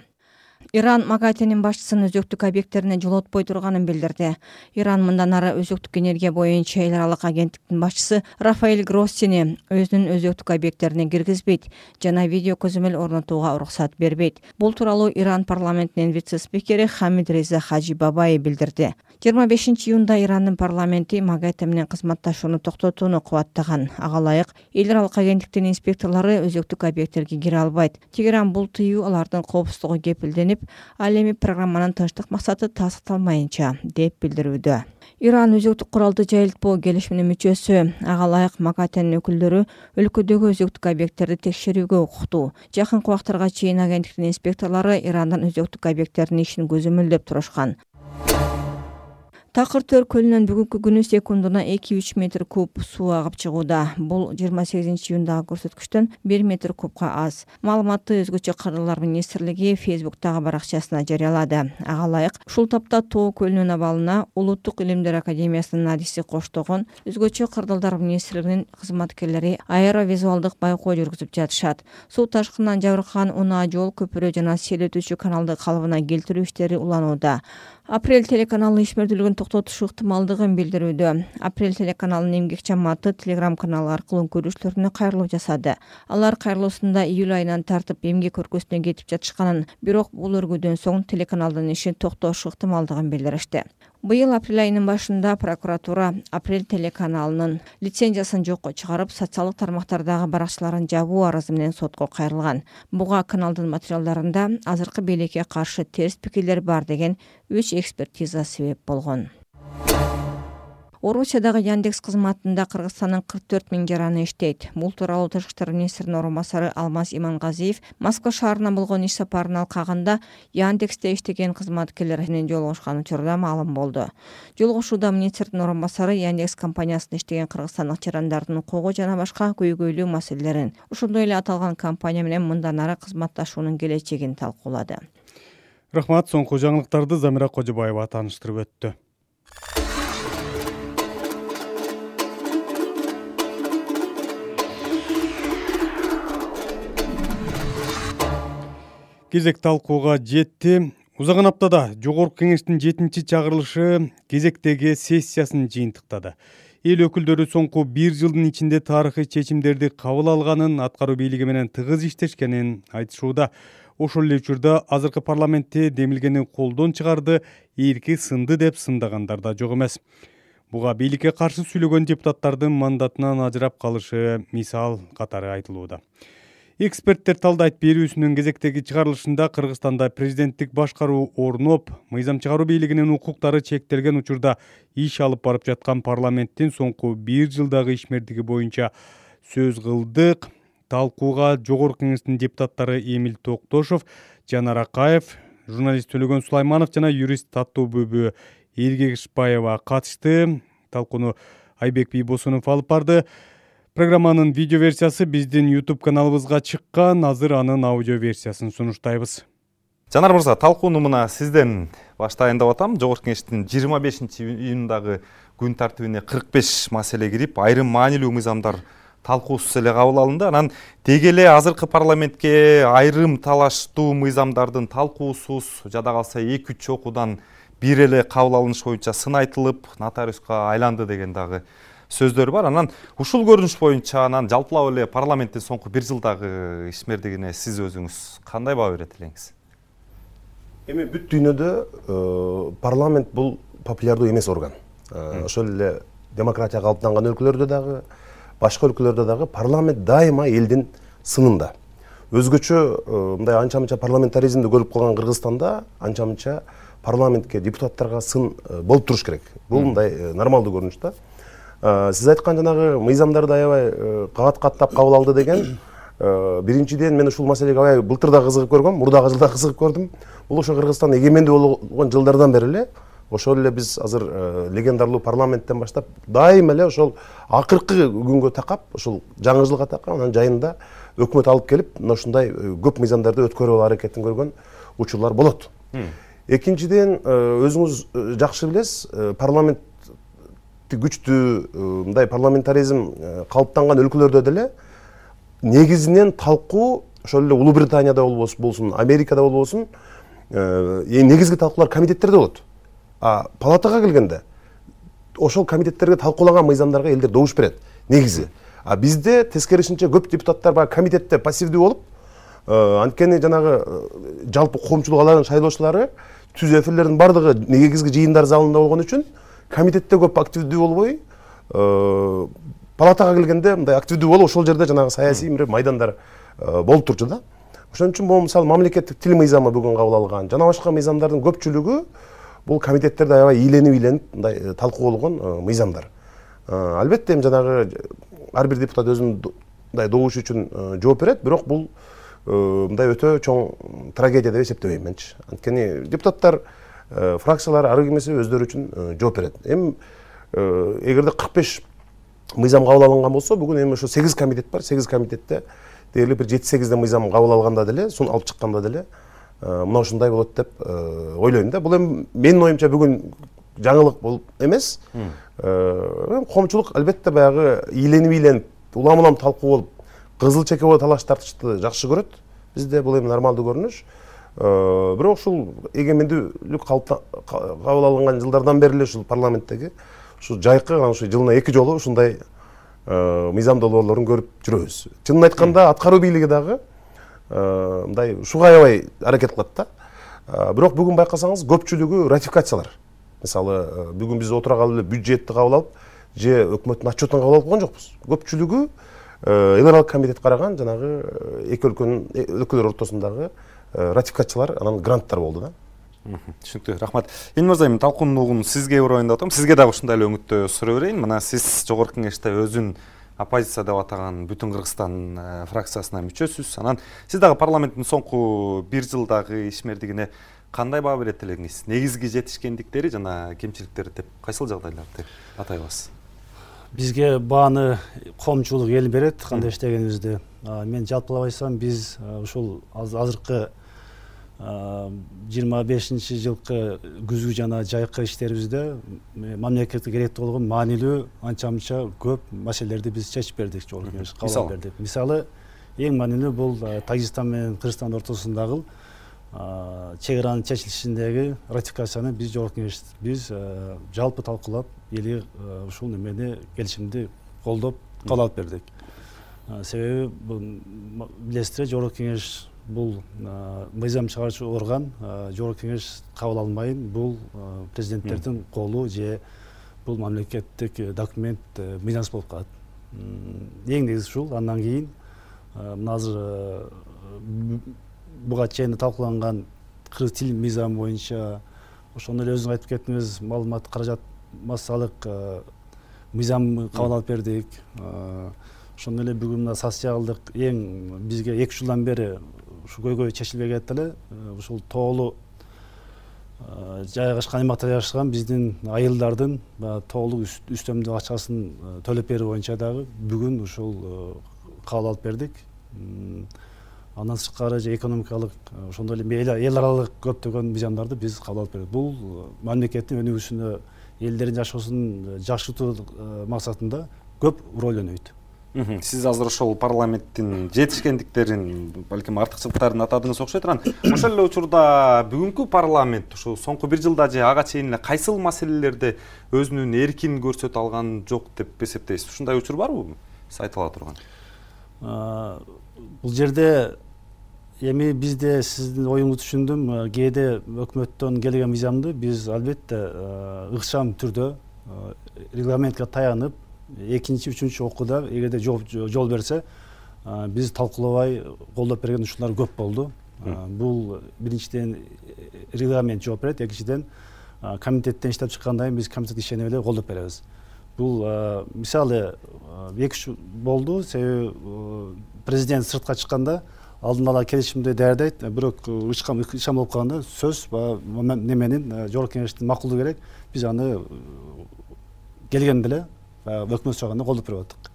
Иран МАГАТЭнин башчысын өзөктүк объекттерине жолотпой турганын билдирди. Иран мындан ары өзөктүк энергия боюнча эл аралык агенттиктин башчысы Рафаэль Гроссини өзүнүн өзөктүк объекттерине киргизбейт жана видео көзөмөл орнотууга уруксат бербейт. Бул тууралуу Иран парламентинин вице-спикери Хамид Реза Хаджибабай билдирди. 25 июнда Ирандын парламенти МАГАТЭ менен кызматташууну токтотууну кубаттаган. Ага ылайык эл аралык агенттиктин инспекторлору өзөктүк объекттерге кире албайт. Тегеран бул тыюу алардын коопсуздугу кепилденип, ал эми программанын тынчтык максаты тастыкталмайынча деп билдирүүдө. Иран өзөктүк куралды жайылтпоо келишиминин мүчөсү. Ага ылайык МАГАТЭнин өкүлдөрү өлкөдөгү өзөктүк объекттерди текшерүүгө укуктуу. Жакынкы убактарга чейин агенттиктин инспекторлору Ирандан өзөктүк объекттердин ишин көзөмөлдөп турушкан. Такыр Төр көлүнөн бүгүнкү күнү секундуна 2-3 метр куб суу агып чыгууда. Бул 28 июндагы көрсөткүчтөн 1 метр кубка аз. Маалыматты өзгөчө кырдырлар министрлиги Facebook'тагы баракчасына жарыялады. Ага ылайык ушул тапта Тоо көлүнүн абалына Улуттук илимдер академиясынын адиси коштогон өзгөчө кырдырлар министрлигинин кызматкерлери аэровизуалдык байкоо жүргүзүп жатышат. Суу ташкынынан жабыркаган унаа жол, көпүрө жана сел өтүүчү каналды калыбына келтирүү иштери уланууда. Апрель телеканалынын ишмердүүлүгүн токтотуш ыктымалдыгын билдирүүдө. Апрель телеканалынын эмгек жамааты Telegram каналы аркылуу көрүүчүлөрүнө кайрылуу жасады. Алар кайрылуусунда июль айынан тартып эмгек өркөсүнө кетип жатышканын, бирок бул өргүүдөн соң телеканалдын ишин токтош ыктымалдыгын билдиришти. Быйыл апрель айынын башында прокуратура Апрель телеканалынын лицензиясын жокко чыгарып, социалдык тармактардагы баракчаларын жабуу арызы менен сотко кайрылган. Буга каналдын материалдарында азыркы бийликке каршы терс пикирлер бар деген 3 экспертиза себеп болгон. Орусиядагы Яндекс кызматында Кыргызстандын 44 000 жараны иштейт. Бул тууралуу тышкы иштер министринин орун басары Алмаз Имангазиев Москва шаарына болгон иш сапарын алкагында Яндексте иштеген кызматкерлер менен жолугушкан учурда маалым болду. Жолугушууда министрдин орун басары Яндекс компаниясында иштеген кыргызстандык жарандардын укугу жана башка көйгөйлүү маселелерин, ошондой эле аталган компания менен мындан ары кызматташуунун келечегин талкуулады. Рахмат, соңку жаңылыктарды Замира Кожобаева тааныштырып өттү. Кезек талкууга жетти. Узаган аптада Жогорку Кеңештин 7-чи чакырылышы кезектеги сессиясын жыйынтыктады. Эл өкүлдөрү соңку 1 жылдын ичинде тарыхый чечимдерди кабыл алганын, аткаруу бийлиги менен тыгыз иштешкенин айтышууда. Ошол эле учурда азыркы парламентте демилгени колдон чыгарды, эрки сынды деп сындагандар да жок эмес. Буга бийликке каршы сүйлөгөн депутаттардын мандатынан ажырап калышы мисал катары айтылууда. Эксперттер талдайт, берүүсүнүн кезектеги чыгарылышында Кыргызстанда президенттик башкаруу орноп, мыйзам чыгаруу бийлигинин укуктары чектелген учурда иш алып барып жаткан парламенттин соңку 1 жылдагы ишмердиги боюнча сөз кылдык. Талкууга Жогорку Кеңештин депутаттары Эмил Токтошов, Жанар Акаев, журналист Төлөгөн Сулайманов жана юрист Таттуу-Бүбү Эргешбаева катышты. Талкууну Айбек Бийбосунов алып барды. Программанын видео версиясы биздин YouTube каналыбызга чыккан, азыр анын аудио версиясын сунуштайбыз. Жанар мырза, талкууну мына сизден баштайын деп атам. Жогорку Кеңештин 25-июндагы күн тартибине 45 маселе кирип, айрым маанилүү мыйзамдар талкуусуз эле кабыл алынды. Анан деги эле азыркы парламентке айрым талаштуу мыйзамдардын талкуусуз жада калса 2-3 окуудан бир эле кабыл алыныш боюнча сын айтылып, нотариуска айланды деген дагы сөздөр бар. Анан ушул көрүнүш боюнча анан жалпылап эле парламенттин соңку 1 жылдагы ишмердигине сиз өзүңүз кандай баа берет элеңиз? Эми бүт дүйнөдө парламент бул популярдуу эмес орган. Ошол эле демократия калыптанган өлкөлөрдө дагы, башка өлкөлөрдө дагы парламент дайыма элдин сынында. Өзгөчө мындай анча-мынча парламентаризмди көрүп калган Кыргызстанда анча-мынча парламентке, депутаттарга сын болуп туруш керек. Бул мындай нормалдуу көрүнүш да. Сиз айткан жанагы мыйзамдарды аябай кат-каттап кабыл алды деген, биринчиден мен ушул маселеге аябай былтыр да кызыгып көргөм, мурдагы жылда кызыгып көрдүм. Бул ошо Кыргызстан эгемендүү болгон жылдардан бери эле ошол эле биз азыр легендарлуу парламенттен баштап дайыма эле ошол акыркы күнгө такап, ошол жаңы жылга такап, анан жайында өкмөт алып келип, мына ушундай көп мыйзамдарды өткөрүп алуу аракетин көргөн учурлар болот. Экинчиден, өзүңүз жакшы билесиз, парламент күчтүү мындай парламентаризм калыптанган өлкөлөрдө деле негизинен талкуу ошол эле Улуу Британияда болсун, Америкада болбосун, негизги талкуулар комитеттерде болот. А палатага келгенде ошол комитеттерге талкуулаган мыйзамдарга элдер добуш берет негизи. А бизде тескерисинче көп депутаттар баягы комитетте пассивдүү болуп, анткени жанагы жалпы коомчулук алардын шайлоочулары түз эфирлердин бардыгы негизги жыйындар залында болгон үчүн комитетте көп активдүү болбой, палатага келгенде мындай активдүү болуп, ошол жерде жанагы саясий майдандар болуп турчу да. Ошон үчүн бул мисалы мамлекеттик тил мыйзамы бүгүн кабыл алган, жана башка мыйзамдардын көпчүлүгү бул комитеттерде аябай ийленип мындай талкуу болгон мыйзамдар. Албетте эми жанагы ар бир депутат өзүнүн мындай добушу үчүн жооп берет, бирок бул мындай өтө чоң трагедия деп эсептебейм менчи. Анткени депутаттар, фракциялар ары кимесе өздөрү үчүн жооп берет. Эми эгерде 45 мыйзам кабыл алынган болсо, бүгүн эми ошо 8 комитет бар. 8 комитетте дээрлик бир 7-8 мыйзам кабыл алганда деле, сун алып чыкканда деле мына ушундай болот деп ойлойм да. Бул эми менин оюмча бүгүн жаңылык болуп эмес. Коомчулук албетте баягы ийленип улам талкуу болуп, кызыл чеке болуп талаш тартышты жакшы көрөт. Бизде бул эми нормалдуу көрүнүш. Бирок ушул эгемендүүлүк кабыл алынган жылдардан бери эле ушул парламенттеги ушу жайкы ушу жылына 2 жолу ушундай мыйзам долбоорлорун көрүп жүрөбүз. Чынын айтканда аткаруу бийлиги дагы мындай ушуга аябай аракет кылат да. Бирок бүгүн байкасаңыз көпчүлүгү ратификациялар. Мисалы, бүгүн биз отура калып эле бюджетти кабыл алып, же өкмөттүн отчетун кабыл алып койгон жокпуз. Көпчүлүгү эл аралык комитет караган жанагы эки өлкөлөр ортосундагы ратификациялар, анан гранттар болду да. Түшүнүктүү, рахмат. Эмил мырза, эми талкуунун сизге урайын деп атам. Сизге дагы ушундай эле өңүттө суроо берейин. Мына сиз Жогорку Кеңеште өзүн оппозиция деп атаган Бүтүн Кыргызстан фракциясына мүчөсүз. Анан сиз дагы парламенттин соңку 1 жылдагы ишмердигине кандай баа берет элеңиз? Негизги жетишкендиктери жана кемчиликтери деп кайсыл жагдайларды атай аласыз? Бизге бааны коомчулук эл берет, кандай иштегенибизди. Мен жалпылап айтсам, биз ушул азыркы 25-жылкы күзгү жана жайкы иштерибизде мамлекетке керектүү болгон маанилүү анча-мынча көп маселелерди биз чечип бердик, кабыл бердик. Мисалы, эң маанилүү бул Тажикстан менен Кыргызстан ортосундагы чек аранын чечилишиндеги ратификацияны биз жогорку кеңеш биз жалпы талкуулап эли ушул немени келишимди колдоп кабыл алып бердик. Себеби билесиздер, жогорку кеңеш бул мыйзам чыгаруучу орган, жогорку кеңеш кабыл алмайын, бул президенттердин колу же бул мамлекеттик документ мыйзамсыз болуп калат. Эң негизи ушул. Андан кийин азыр буга чейин талкууланган кыргыз тил мыйзамы боюнча ошондо эле өзүңүз айтып кеттиңиз, маалымат каражат массалык мыйзам кабыл алып бердик. Ошондо эле бүгүн мына социалдык эң бизге 2 жылдан бери ушу көйгөй чечилбей кетти эле. Ушул тоолуу жайгашкан аймакта жашаган биздин айылдардын тоолуу үстөмдүк акчасын төлөп берүү боюнча дагы бүгүн ушул кабыл алып бердик. Андан сырткары же экономикалык ошондой эле эл аралык көптөгөн мыйзамдарды биз кабыл алып бердик. Бул мамлекеттин өнүгүүсүнө, элдердин жашоосун жакшыртуу максатында көп роль ойнойт. Сиз азыр ошол парламенттин жетишкендиктерин, балким артыкчылыктарын атадыңыз окшойт. Ошол эле учурда бүгүнкү парламент ушу соңку 1 жылда же ага чейин эле кайсыл маселелерде өзүнүн эркин көрсөтө алган жок деп эсептейсиз? Ушундай учур барбы? Сиз айта ала турган. Бул жерде эми бизде сиздин оюңузду түшүндүм. Кээде өкмөттөн келген мыйзамды биз албетте ыкчам түрдө регламентке таянып, экинчи, үчүнчү окууда эгерде жол берсе, биз талкуулабай колдоп берген учурлар көп болду. Бул биринчиден регламент жооп берет, экинчиден комитеттен иштеп чыккандан кийин биз комитет ишине эле колдоп беребиз. Бул мисалы 2 болду, себеби президент сыртка чыкканда алдын ала келишимди даярдайт, бирок ычкам болуп калганда сөз неменин жогорку кеңештин макулдугу керек. Биз аны келгенде эле өкмөт сураганда колдоп берип аттык.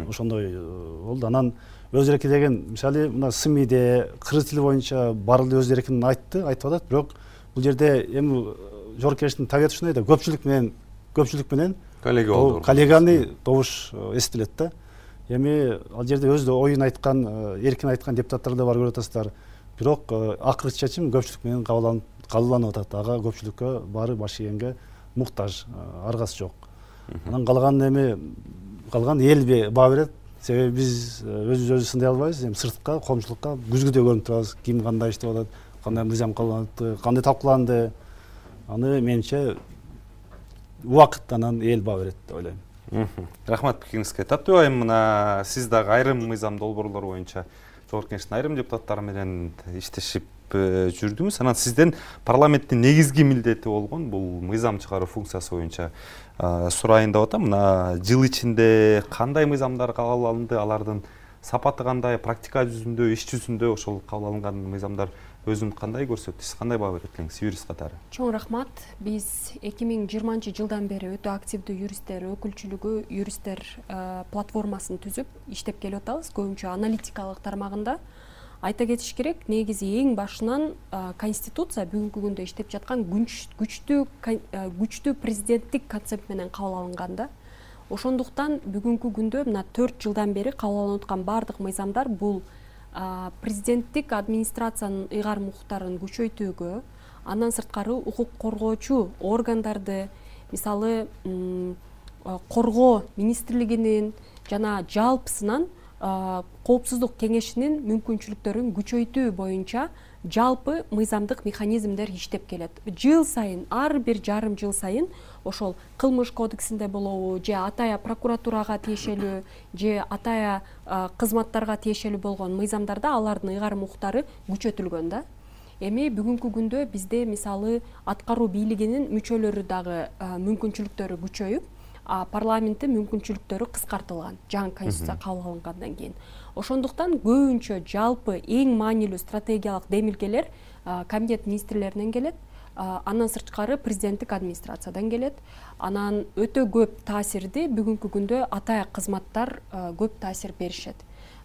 Ошондой болду. Анан өз эреки деген мисалы мына СМИде кыргыз тили боюнча баардыгы өз эркин айтып атат, бирок бул жерде эми жогорку кеңештин табияты ушундай да, көпчүлүк менен коллегиальный добуш эсептелет да. Эми ал жерде өз оюн айткан, эркин айткан депутаттар да бар, көрүп атасыздар. Бирок акыркы чечим көпчүлүк менен кабылданып атат. Ага көпчүлүккө баары баш ийгенге муктаж, аргасы жок. Анан калган эл баа берет. Себеби биз өзүбүздү сындай албайбыз. Эми сыртка, коомчулукка күзгүдө көрүнүп турабыз. Ким кандай иштеп атат, кандай мыйзам кабылданды, кандай талкууланды. Аны менимче убакыт анан эл баа берет деп ойлойм. Рахмат пикириңизге. Таттуу айым, мына сиз дагы айрым мыйзам долбоорлор боюнча жогорку кеңештин айрым депутаттары менен иштешип жүрдүңүз. Анан сизден парламенттин негизги милдети болгон бул мыйзам чыгаруу функциясы боюнча сурайын деп атам. Мына жыл ичинде кандай мыйзамдар кабыл алынды, алардын сапаты кандай, практика жүзүндө, иш жүзүндө ошол кабыл алынган мыйзамдар өзүн кандай көрсөттү? Сиз кандай баа берет элеңиз юрист катары? Чоң рахмат. Биз 2020-жылдан бери өтө активдүү юристтер өкүлчүлүгү, юристтер платформасын түзүп иштеп келип атабыз. Көбүнчө аналитикалык тармагында. Айта кетиш керек, негизи эң башынан конституция бүгүнкү күндө иштеп жаткан күчтүү президенттик концепт менен кабыл алынган. Ошондуктан бүгүнкү күндө мына 4 жылдан бери кабыл алынып аткан баардык мыйзамдар бул президенттик администрациянын ыйгарым укуктарын күчөйтүүгө, андан сырткары укук коргоочу органдарды, мисалы коргоо министрлигинин жана жалпысынан коопсуздук кеңешинин мүмкүнчүлүктөрүн күчөйтүү боюнча жалпы мыйзамдык механизмдер иштеп келет. Жыл сайын, ар бир жарым жыл сайын ошол кылмыш кодексинде болобу, же атая прокуратурага тиешелүү, же атая кызматтарга тиешелүү болгон мыйзамдарда алардын ыйгарым укуктары күчөтүлгөн да. Эми бүгүнкү күндө бизде мисалы аткаруу бийлигинин мүчөлөрү дагы мүмкүнчүлүктөрү күчөйүп, парламенттин мүмкүнчүлүктөрү кыскартылган жаңы конституция кабыл алынгандан кийин. Ошондуктан көбүнчө жалпы эң маанилүү стратегиялык демилгелер комитет министрлеринен келет, андан сырткары президенттик администрациядан келет. Анан өтө көп таасирди бүгүнкү күндө атая кызматтар көп таасир беришет.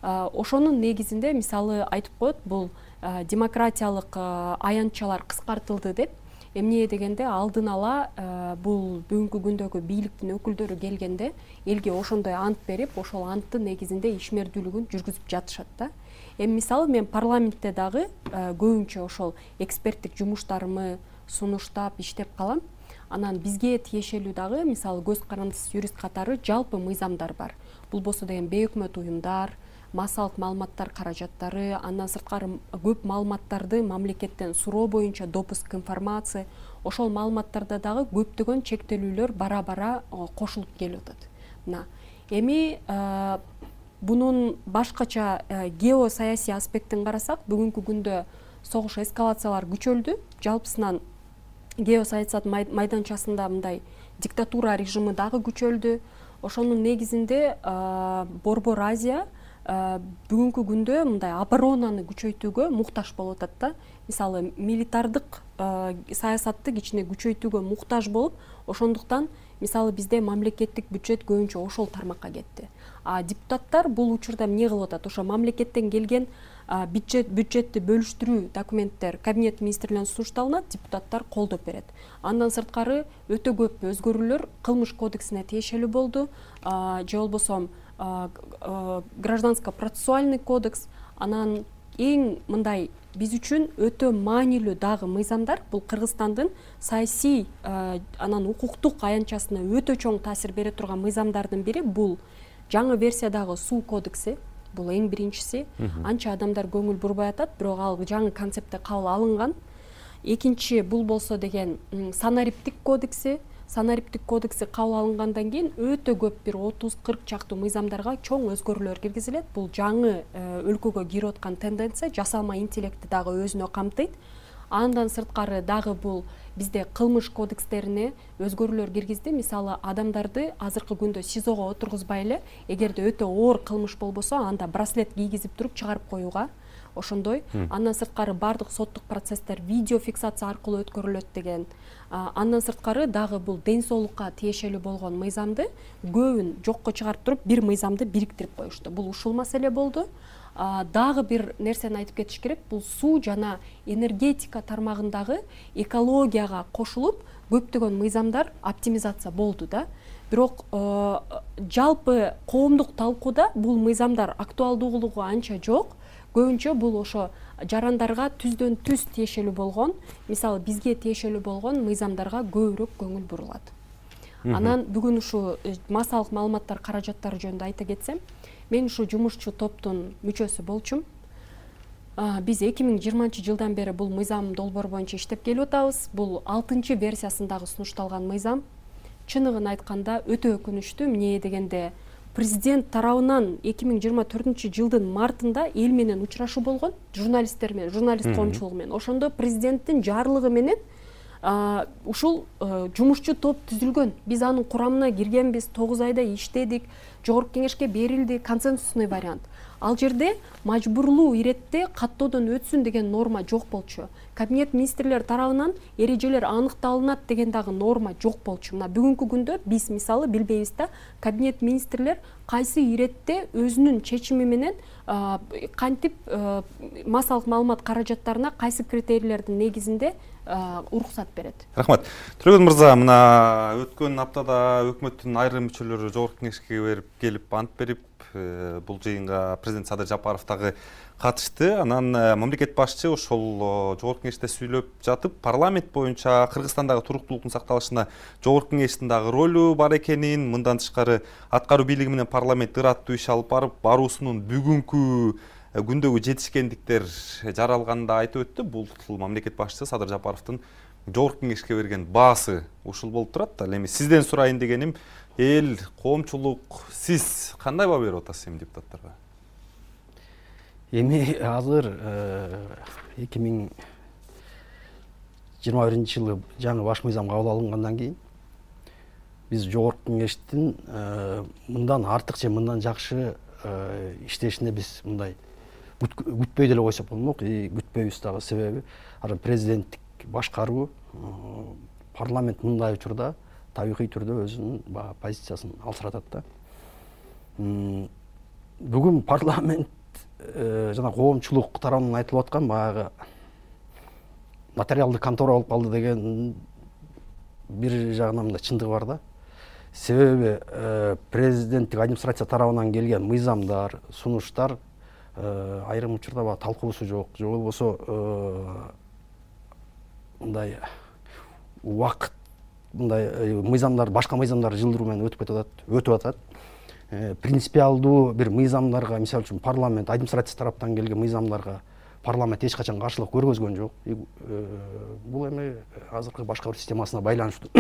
Ошонун негизинде мисалы айтып коет, бул демократиялык аянтчалар кыскартылды деп. Эмне дегенде алдын ала бул бүгүнкү күндөгү бийликтин өкүлдөрү келгенде элге ошондой ант берип, ошол анттын негизинде ишмердүүлүгүн жүргүзүп жатышат да. Эми мисалы мен парламентте дагы көбүнчө ошол эксперттик жумуштарымы сунуштап иштеп калам. Анан бизге тиешелүү дагы мисалы көз карандысыз юрист катары жалпы мыйзамдар бар. Бул болсо деген бейөкмөт уюмдар, массалык маалыматтар каражаттары, андан сырткары көп маалыматтарды мамлекеттен суроо боюнча допуск информация, ошол маалыматтарда дагы көптөгөн чектелүүлөр бара-бара кошулуп келип атат. Мына эми бунун башкача геосаясий аспектин карасак, бүгүнкү күндө согуш эскалациялар күчөлдү. Жалпысынан геосаясат майданчасында мындай диктатура режими дагы күчөлдү. Ошонун негизинде Борбор Азия бүгүнкү күндө мындай оборонаны күчөйтүүгө муктаж болуп атат да. Мисалы милитардык саясатты кичине күчөйтүүгө муктаж болуп, ошондуктан мисалы бизде мамлекеттик бюджет көбүнчө ошол тармакка кетти. Депутаттар бул учурда эмне кылып атат? Ошо мамлекеттен келген бюджетти бөлүштүрүү документтер кабинет министрлигине сунушталынат, депутаттар колдоп берет. Андан сырткары өтө көп өзгөрүүлөр кылмыш кодексине тиешелүү болду, же болбосо гражданско-процессуальный кодекс. Анан эң мындай биз үчүн өтө маанилүү дагы мыйзамдар бул Кыргызстандын саясий анан укуктук аянтчасына өтө чоң таасир бере турган мыйзамдардын бири бул жаңы версиядагы суу кодекси. Бул эң биринчиси. Анча адамдар көңүл бурбай атат, бирок ал жаңы концептте кабыл алынган. Экинчи бул болсо деген санариптик кодекси. Санариптик кодекси кабыл алынгандан кийин өтө көп бир 30-40 чактуу мыйзамдарга чоң өзгөрүүлөр киргизилет. Бул жаңы өлкөгө кирип аткан тенденция, жасалма интеллектти дагы өзүнө камтыйт. Андан сырткары дагы бул бизде кылмыш кодекстерине өзгөрүүлөр киргизди. Мисалы адамдарды азыркы күндө СИЗОго отургузбай эле, эгерде өтө оор кылмыш болбосо, анда браслет кийгизип туруп чыгарып коюуга. Ошондой. Андан сырткары бардык соттук процесстер видео фиксация аркылуу өткөрүлөт деген. Андан сырткары дагы бул ден соолукка тиешелүү болгон мыйзамды көбүн жокко чыгарып туруп бир мыйзамды бириктирип коюшту. Бул ушул маселе болду. Дагы бир нерсени айтып кетиш керек. Бул суу жана энергетика тармагындагы экологияга кошулуп көптөгөн мыйзамдар оптимизация болду да. Бирок жалпы коомдук талкууда бул мыйзамдар актуалдуулугу анча жок. Көбүнчө бул ошо жарандарга түздөн түз тиешелүү болгон, мисалы бизге тиешелүү болгон мыйзамдарга көбүрөөк көңүл бурулат. Анан бүгүн ушу массалык маалыматтар каражаттары жөнүндө айта кетсем, мен ушу жумушчу топтун мүчөсү болчумун. Биз 2020 жылдан бери бул мыйзам долбоор боюнча иштеп келип атабыз. Бул 6-версиясындагы сунушталган мыйзам. Чыныгын айтканда өтө өкүнүчтүү. Эмне дегенде президент тарабынан 2024 жылдын мартында эл менен учурашуу болгон, журналисттер менен, журналист коомчулугу менен. Ошондо президенттин жарлыгы менен ушул жумушчу топ түзүлгөн. Биз анын курамына киргенбиз, 9 айда иштедик, жогорку кеңешке берилди, консенсусный вариант. Ал жерде мажбурлуу иретте каттоодон өтсүн деген норма жок болчу. Кабинет министрлер тарабынан эрежелер аныкталынат деген дагы норма жок болчу. Мына бүгүнкү күндө биз мисалы билбейбиз да, кабинет министрлер кайсы иретте өзүнүн чечими менен кантип массалык маалымат каражаттарына кайсы критерийлердин негизинде уруксат берет. Рахмат. Төрөгөн мырза, мына өткөн аптада өкмөттүн айрым мүчөлөрү жогорку кеңешке келип ант берип, бул жыйынга президент Садыр Жапаров дагы катышты. Анан мамлекет башчы ошол жогорку кеңеште сүйлөп жатып, парламент боюнча Кыргызстандагы туруктуулуктун сакталышына жогорку кеңештин дагы ролу бар экенин, мындан тышкары аткаруу бийлиги менен парламент ыраттуу иш алып баруусунун бүгүнкү күндөгү жетишкендиктер жаралганында айтып өттү. Бул мамлекет башчысы Садыр Жапаровдун жогорку кеңешке берген баасы ушул болуп турат. Ал эми сизден сурайын дегеним, эл, коомчулук, сиз кандай баа берип атасыз эми депутаттарга? Эми азыр 2021 жылы жаңы баш мыйзам кабыл алынгандан кийин биз жогорку кеңештин мындан артык же мындан жакшы иштешине биз мындай күтпөй деле койсок болмок. Күтпөйбүз дагы, себеби президенттик башкаруу, парламент мындай учурда табигый түрдө өзүнүн позициясын алсыратат да. Бүгүн парламент жана коомчулук тарабынан айтылып аткан баягы материалдык контора болуп калды деген бир жагынан мындай чындыгы бар да. Себеби президенттик администрация тарабынан келген мыйзамдар, сунуштар айрым учурда баягы талкуусу жок, же болбосо мындай убакыт мындай мыйзамдар, башка мыйзамдар жылдыруу менен өтүп атат. Принципиалдуу бир мыйзамдарга, мисалы үчүн парламент, администрация тараптан келген мыйзамдарга парламент эч качан каршылык көргөзгөн жок. Бул эми азыркы башка бир системасына байланыштуу.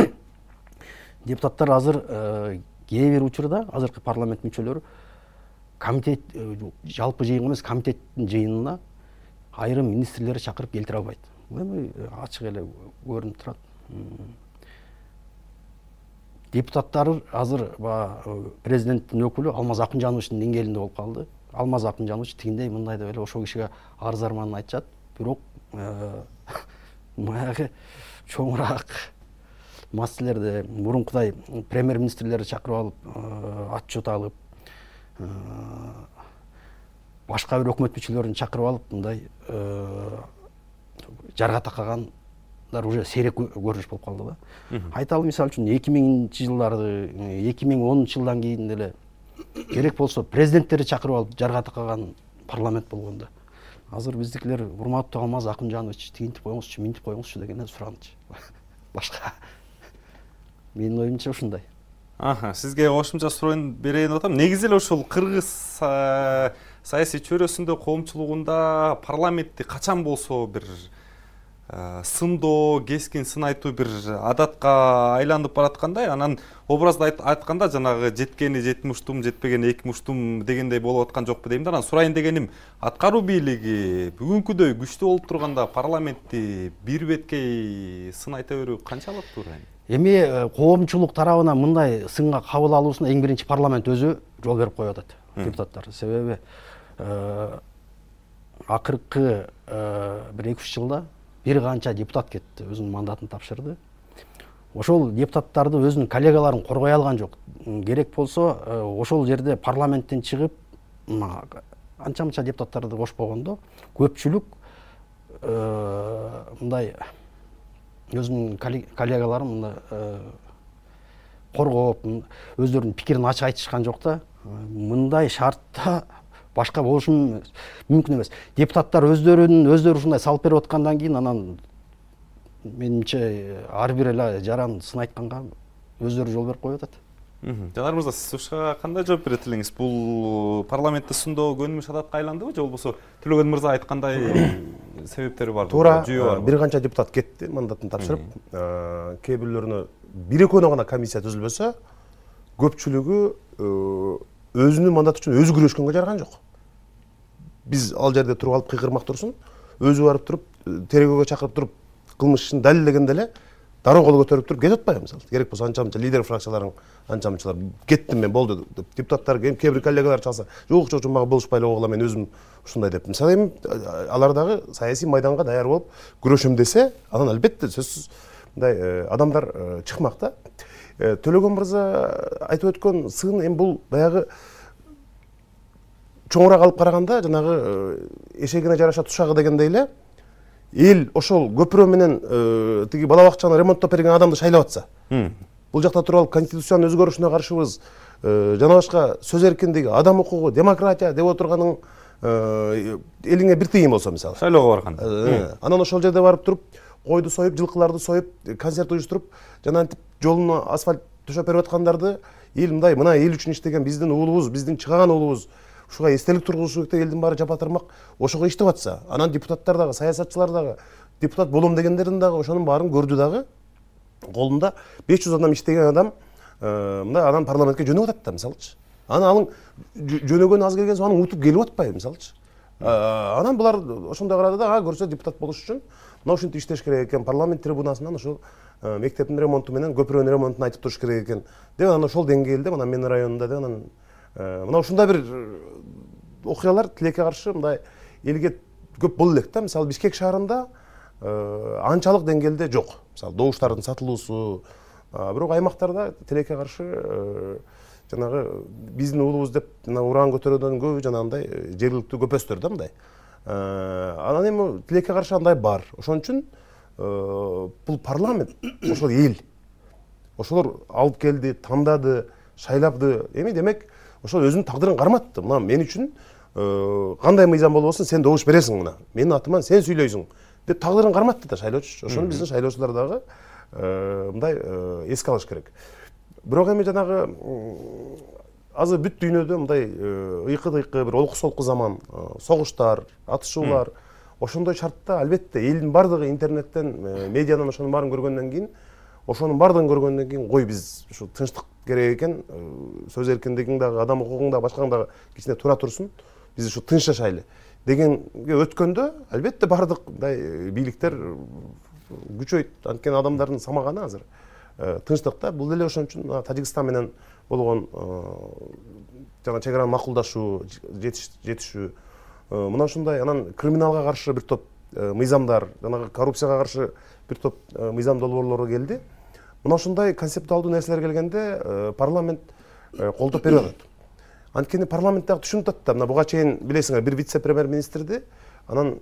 Депутаттар азыр кээ бир учурда азыркы парламент мүчөлөрү комитет жалпы жыйын эмес, комитеттин жыйынына айрым министрлерди чакырып келтире албайт. Бул эми ачык эле көрүнүп турат. Депутаттар азыр президенттин өкүлү Алмаз Акынжановичтин деңгээлинде болуп калды. Алмаз Акынжанович тигиндей мындай деп эле ошол кишиге арыз арманын айтышат. Бирок баягы чоңураак маселелерди мурункудай премьер-министрлерди чакырып алып, отчет алып, башка бир өкмөт мүчөлөрүн чакырып алып, мындай жарга такагандар уже сейрек көрүнүш болуп калды да. Айталы мисалы үчүн 2000-жылдарды, 2010 жылдан кийин деле керек болсо президенттерди чакырып алып жарга такаган парламент болгондо. Азыр биздикилер урматтуу Алмаз Акынжанович тигинтип коюңузчу, минтип коюңузчу дегенден сураганчы. Башка менин оюмча ушундай. Сизге кошумча суроону берейин деп атам. Негизи эле ошол кыргыз саясий чөйрөсүндө, коомчулугунда парламентти качан болсо бир сындоо, кескин сын айтуу бир адатка айланып бараткандай, анан образда айтканда жанагы жеткени 7 муштум, жетпегени 2 муштум дегендей болуп аткан жокпу дейм да. Анан сурайын дегеним, аткаруу бийлиги бүгүнкүдөй күчтүү болуп турганда парламентти бир беткей сын айта берүү канчалык туура? Эми коомчулук тарабынан мындай сынга кабыл алуусуна эң биринчи парламент өзү жол берип коюп атат, депутаттар. Себеби акыркы бир 2-3 жылда бир канча депутат кетти, өзүнүн мандатын тапшырды. Ошол депутаттарды өзүнүн коллегаларын коргой алган жок. Керек болсо ошол жерде парламенттен чыгып анча-мынча депутаттарды кошпогондо көпчүлүк мындай өзүнүн коллегаларын мындай коргоп, өздөрүнүн пикирин ачык айтышкан жок да. Мындай шартта башка болушу мүмкүн эмес. Депутаттар өздөрү ушундай салып берип аткандан кийин анан менимче ар бир эле жаран сын айтканга өздөрү жол берип коюп атат. Жанар мырза, сиз ушуга кандай жооп берет элеңиз? Бул парламентте сындоо көнүмүш адатка айландыбы, же болбосо Төлөгөн мырза айткандай себептери барбы? Туура, бир канча депутат кетти, мандатын тапшырып. Кээ бирлөрүнө бир-экөөнө гана комиссия түзүлбөсө, көпчүлүгү өзүнүн мандаты үчүн өзү күрөшкөнгө жарган жок. Биз ал жерде туруп алып кыйкырмак турсун, өзү барып туруп, тергөөгө чакырып туруп, кылмышын далилдегенде эле дароо кол көтөрүп туруп кетип атпайбы мисалы. Керек болсо анча-мынча лидер фракцияларың анча-мынчалар кеттим мен болду деп депутаттар кээ бир коллегалар чалса, жок мага болушпай эле койгула, мен өзүм ушундай деп. Мисалы эми алар дагы саясий майданга даяр болуп күрөшөм десе, анан албетте сөзсүз мындай адамдар чыкмак да. Төлөгөн мырза айтып өткөн сын эми бул баягы чоңураак алып караганда жанагы эшегине жараша тушагы дегендей эле эл ошол көпүрө менен тиги бала бакчаны ремонттоп берген адамды шайлап атса, бул жакта туруп алып конституциянын өзгөрүшүнө каршыбыз, жана башка сөз эркиндиги, адам укугу, демократия деп отурганың элиңе бир тыйын болсо мисалы. Шайлоого барганда. Анан ошол жерде барып туруп, койду союп, жылкыларды союп, концерт уюштуруп, жана антип жолуна асфальт төшөп берип аткандарды эл мындай, мына эл үчүн иштеген биздин уулубуз, биздин чыгаган уулубуз, ушуга эстелик тургузуш керек деп элдин баары жапатырмак ошого иштеп атса, анан депутаттар дагы, саясатчылар дагы, депутат болом дегендердин дагы ошонун баарын көрдү дагы, колунда 500 адам иштеген адам мындай анан парламентке жөнөп атат да мисалычы. Анан алың жөнөгөн аз келген соң анын утуп келип атпайбы мисалычы. Анан булар ошондой карады да, көрсө депутат болуш үчүн мына ушинтип иштеш керек экен, парламент трибунасынан ошол мектептин ремонту менен көпүрөнүн ремонтун айтып туруш керек экен деп, анан ошол деңгээлде мына менин районумда деп, анан мына ушундай бир окуялар тилекке каршы мындай элге көп боло элек да. Мисалы Бишкек шаарында анчалык деңгээлде жок. Мисалы добуштардын сатылуусу, бирок аймактарда тилекке каршы жанагы биздин уулубуз деп жана уран көтөрүүдөн көбү жанагындай жергиликтүү көпөстөр да мындай. Анан эми тилекке каршы андай бар. Ошон үчүн бул парламент, ошол эл. Ошолор алып келди, тандады, шайлапты. Эми демек ошол өзүнүн тагдырын карматты. Мына мен үчүн кандай мыйзам болбосун сен добуш бересиң мына. Менин атыман сен сүйлөйсүң деп тагдырын карматты да шайлоочу. Ошону биздин шайлоочулар дагы мындай эске алыш керек. Бирок эми жанагы азыр бүт дүйнөдө мындай ыйкы-дыйкы бир олку-солку заман, согуштар, атышуулар, ошондой шартта албетте элдин бардыгы интернеттен, медиадан ошонун баарын көргөндөн кийин, кой биз ушу тынчтык керек экен, сөз эркиндигиң дагы, адам укугуң дагы, башкаң дагы кичине тура турсун, биз ушу тынч жашайлы дегенге өткөндө албетте бардык мындай бийликтер күчөйт. Анткени адамдардын самаганы азыр тынчтыкта. Бул деле ошон үчүн Тажикстан менен болгон жана чек араны макулдашуу, жетишүү, мына ушундай анан криминалга каршы бир топ мыйзамдар, жанагы коррупцияга каршы бир топ мыйзам долбоорлору келди. Мына ушундай концептуалдуу нерселер келгенде парламент колдоп берип атат. Анткени парламент дагы түшүнүп атат да, мына буга чейин билесиңер бир вице-премьер-министрди, анан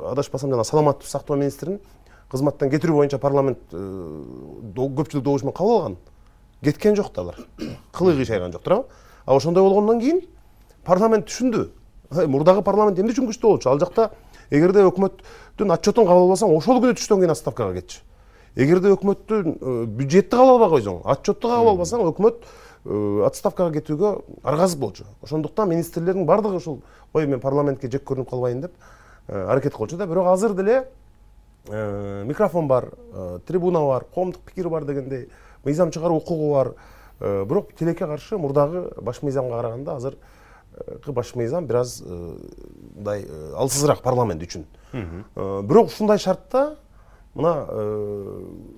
адашпасам жана саламаттык сактоо министрин кызматтан кетирүү боюнча парламент көпчүлүк добуш менен кабыл алган. Кеткен жок да алар. Кылыгы шайган жок, туурабы? А ошондой болгондон кийин парламент түшүндү. Мурдагы парламент эмне үчүн күчтүү болчу? Ал жакта эгерде өкмөттүн отчетун кабыл албасаң, ошол күнү түштөн кийин отставкага кетчү. Эгерде өкмөттүн бюджетти кабыл албай койсоң, отчетту кабыл албасаң, өкмөт отставкага кетүүгө аргасыз болчу. Ошондуктан министрлердин бардыгы ушул ой мен парламентке жек көрүнүп калбайын деп аракет кылчу да. Бирок азыр деле микрофон бар, трибуна бар, коомдук пикир бар дегендей, мыйзам чыгаруу укугу бар. Бирок тилекке каршы мурдагы баш мыйзамга караганда азыркы баш мыйзам бир аз мындай алсызыраак парламент үчүн. Бирок ушундай шартта мына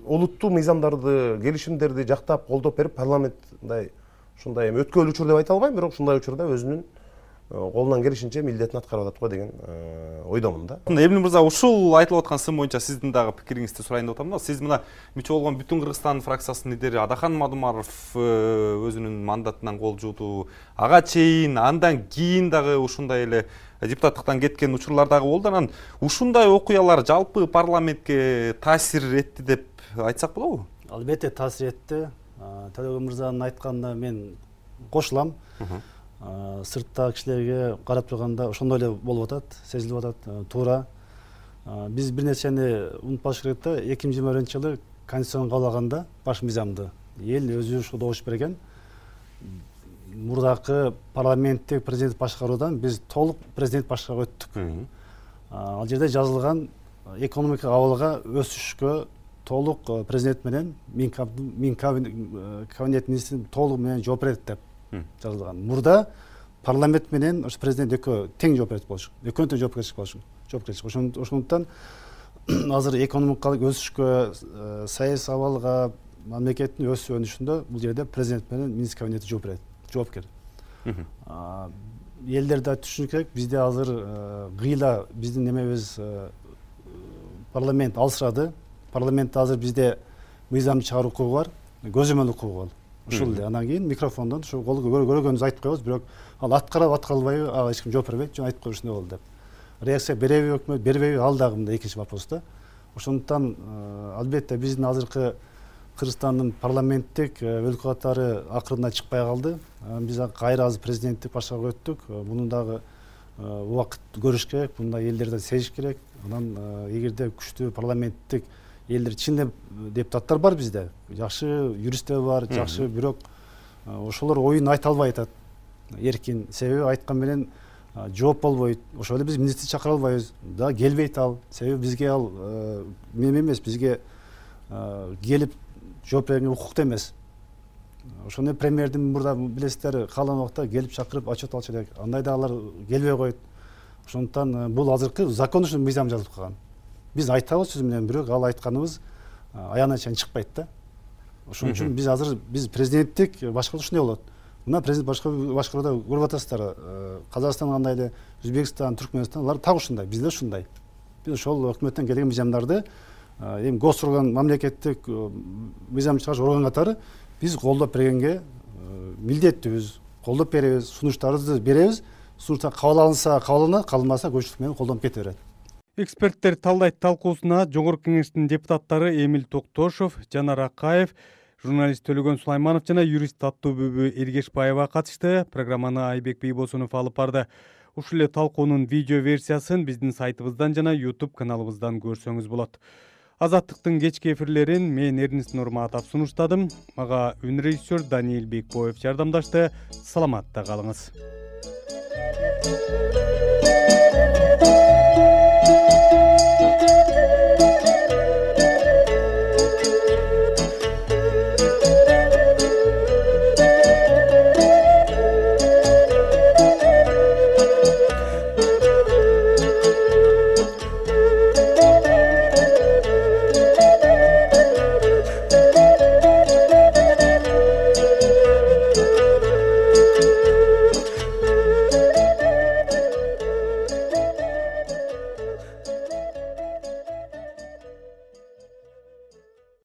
олуттуу мыйзамдарды, келишимдерди жактап колдоп берип парламент мындай ушундай эми өткөөлүү учур деп айта албайм, бирок ушундай учурда өзүнүн колунан келишинче милдетин аткарып атат го деген ойдомун да. Эмне мырза, ушул айтылып аткан сын боюнча сиздин дагы пикириңизди сурайын деп атам да. Сиз мына мүчө болгон Бүтүн Кыргызстан фракциясынын лидери Адахан Мадумаров өзүнүн мандатынан кол жууду. Ага чейин андан кийин дагы ушундай эле депутаттыктан кеткен учурлар дагы болду. Анан ушундай окуялар жалпы парламентке таасир этти деп айтсак болобу? Албетте таасир этти. Төлөгөн мырзанын айтканына мен кошулам. Сырттагы кишилерге карап турганда ошондой эле болуп атат, сезилип атат, туура. Биз бир нерсени унутпаш керек да, 2021-жылы конституцияны кабыл алганда баш мыйзамды эл өзү ушу добуш берген. Мурдакы парламенттик президент башкаруудан биз толук президент башкарууга өттүк. Ал жерде жазылган экономика абалга өсүшкө толук президент менен мин кабинет министрин толук менен жооп берет деп жазылган. Мурда парламент менен ошо президент экөө тең жооп берет болчу. Экөөнүн тең жоопкерчилик болчу. Ошондуктан азыр экономикалык өсүшкө, саясий абалга, мамлекеттин өсүп өнүшүндө бул жерде президент менен министр кабинети жооп берет, жоопкер. Элдер да түшүнүш керек, бизде азыр гыйла биздин немебиз парламент алсырады. Парламентте азыр бизде мыйзам чыгаруу укугу бар, көзөмөл укугу бар. Ушул эле. Андан кийин микрофондон ошо көргөнүбүздү айтып коебуз, бирок ал аткарып аткарылбайбы, ага эч ким жооп бербейт, жөн айтып коюп ушундай болду деп. Реакция береби өкмөт, бербейби, ал дагы мындай экинчи вопрос да. Ошондуктан албетте биздин азыркы Кыргызстандын парламенттик өлкө катары акырында чыкпай калды. Биз кайра азыр президенттик башкарууга өттүк. Муну дагы убакыт көрүш керек, мындай элдерден сезиш керек. Анан эгерде күчтүү парламенттик элдер чын депутаттар бар бизде, жакшы юристтер бар, жакшы, бирок ошолор оюн айта албай атат эркин. Себеби айткан менен жооп болбойт. Ошол эле биз министр чакыра албайбыз. Да келбейт ал. Себеби бизге ал неме эмес, бизге келип жооп бергенге укуктуу эмес. Ошондой премьердин мурда билесиздер, каалаган убакта келип чакырып отчет алыш керек. Андай да алар келбей коет. Ошондуктан бул азыркы закон үчүн мыйзам жазылып калган. Биз айтабыз сөз менен, бирок ал айтканыбыз аягына чейин чыкпайт да. Ошон үчүн биз президенттик башкаруу ушундай болот. Мына президент башкарууда көрүп атасыздар, Казакстан кандай эле, Өзбекстан, Түркмөнстан, алар так ушундай, биз да ушундай. Биз ошол өкмөттөн келген мыйзамдарды эми гос орган, мамлекеттик мыйзам чыгарыш орган катары биз колдоп бергенге милдеттүүбүз, колдоп беребиз, сунуштарыбызды беребиз. Сунуштар кабыл алынса кабыл алынат, кабылмаса көпчүлүк менен колдонуп кете берет. Эксперттер талдайт талкуусуна Жогорку Кеңештин депутаттары Эмил Токтошов, Жанар Акаев, журналист Төлөгөн Сулайманов жана юрист Таттуубүбү Эргешбаева катышты. Программаны Айбек Бийбосунов алып барды. Ушул эле талкуунун видео версиясын биздин сайтыбыздан жана YouTube каналыбыздан көрсөңүз болот. Азаттыктын кечки эфирлерин мен Эрнест Нурматов сунуштадым. Мага үн режиссер Даниил Бекбоев жардамдашты. Саламатта калыңыз.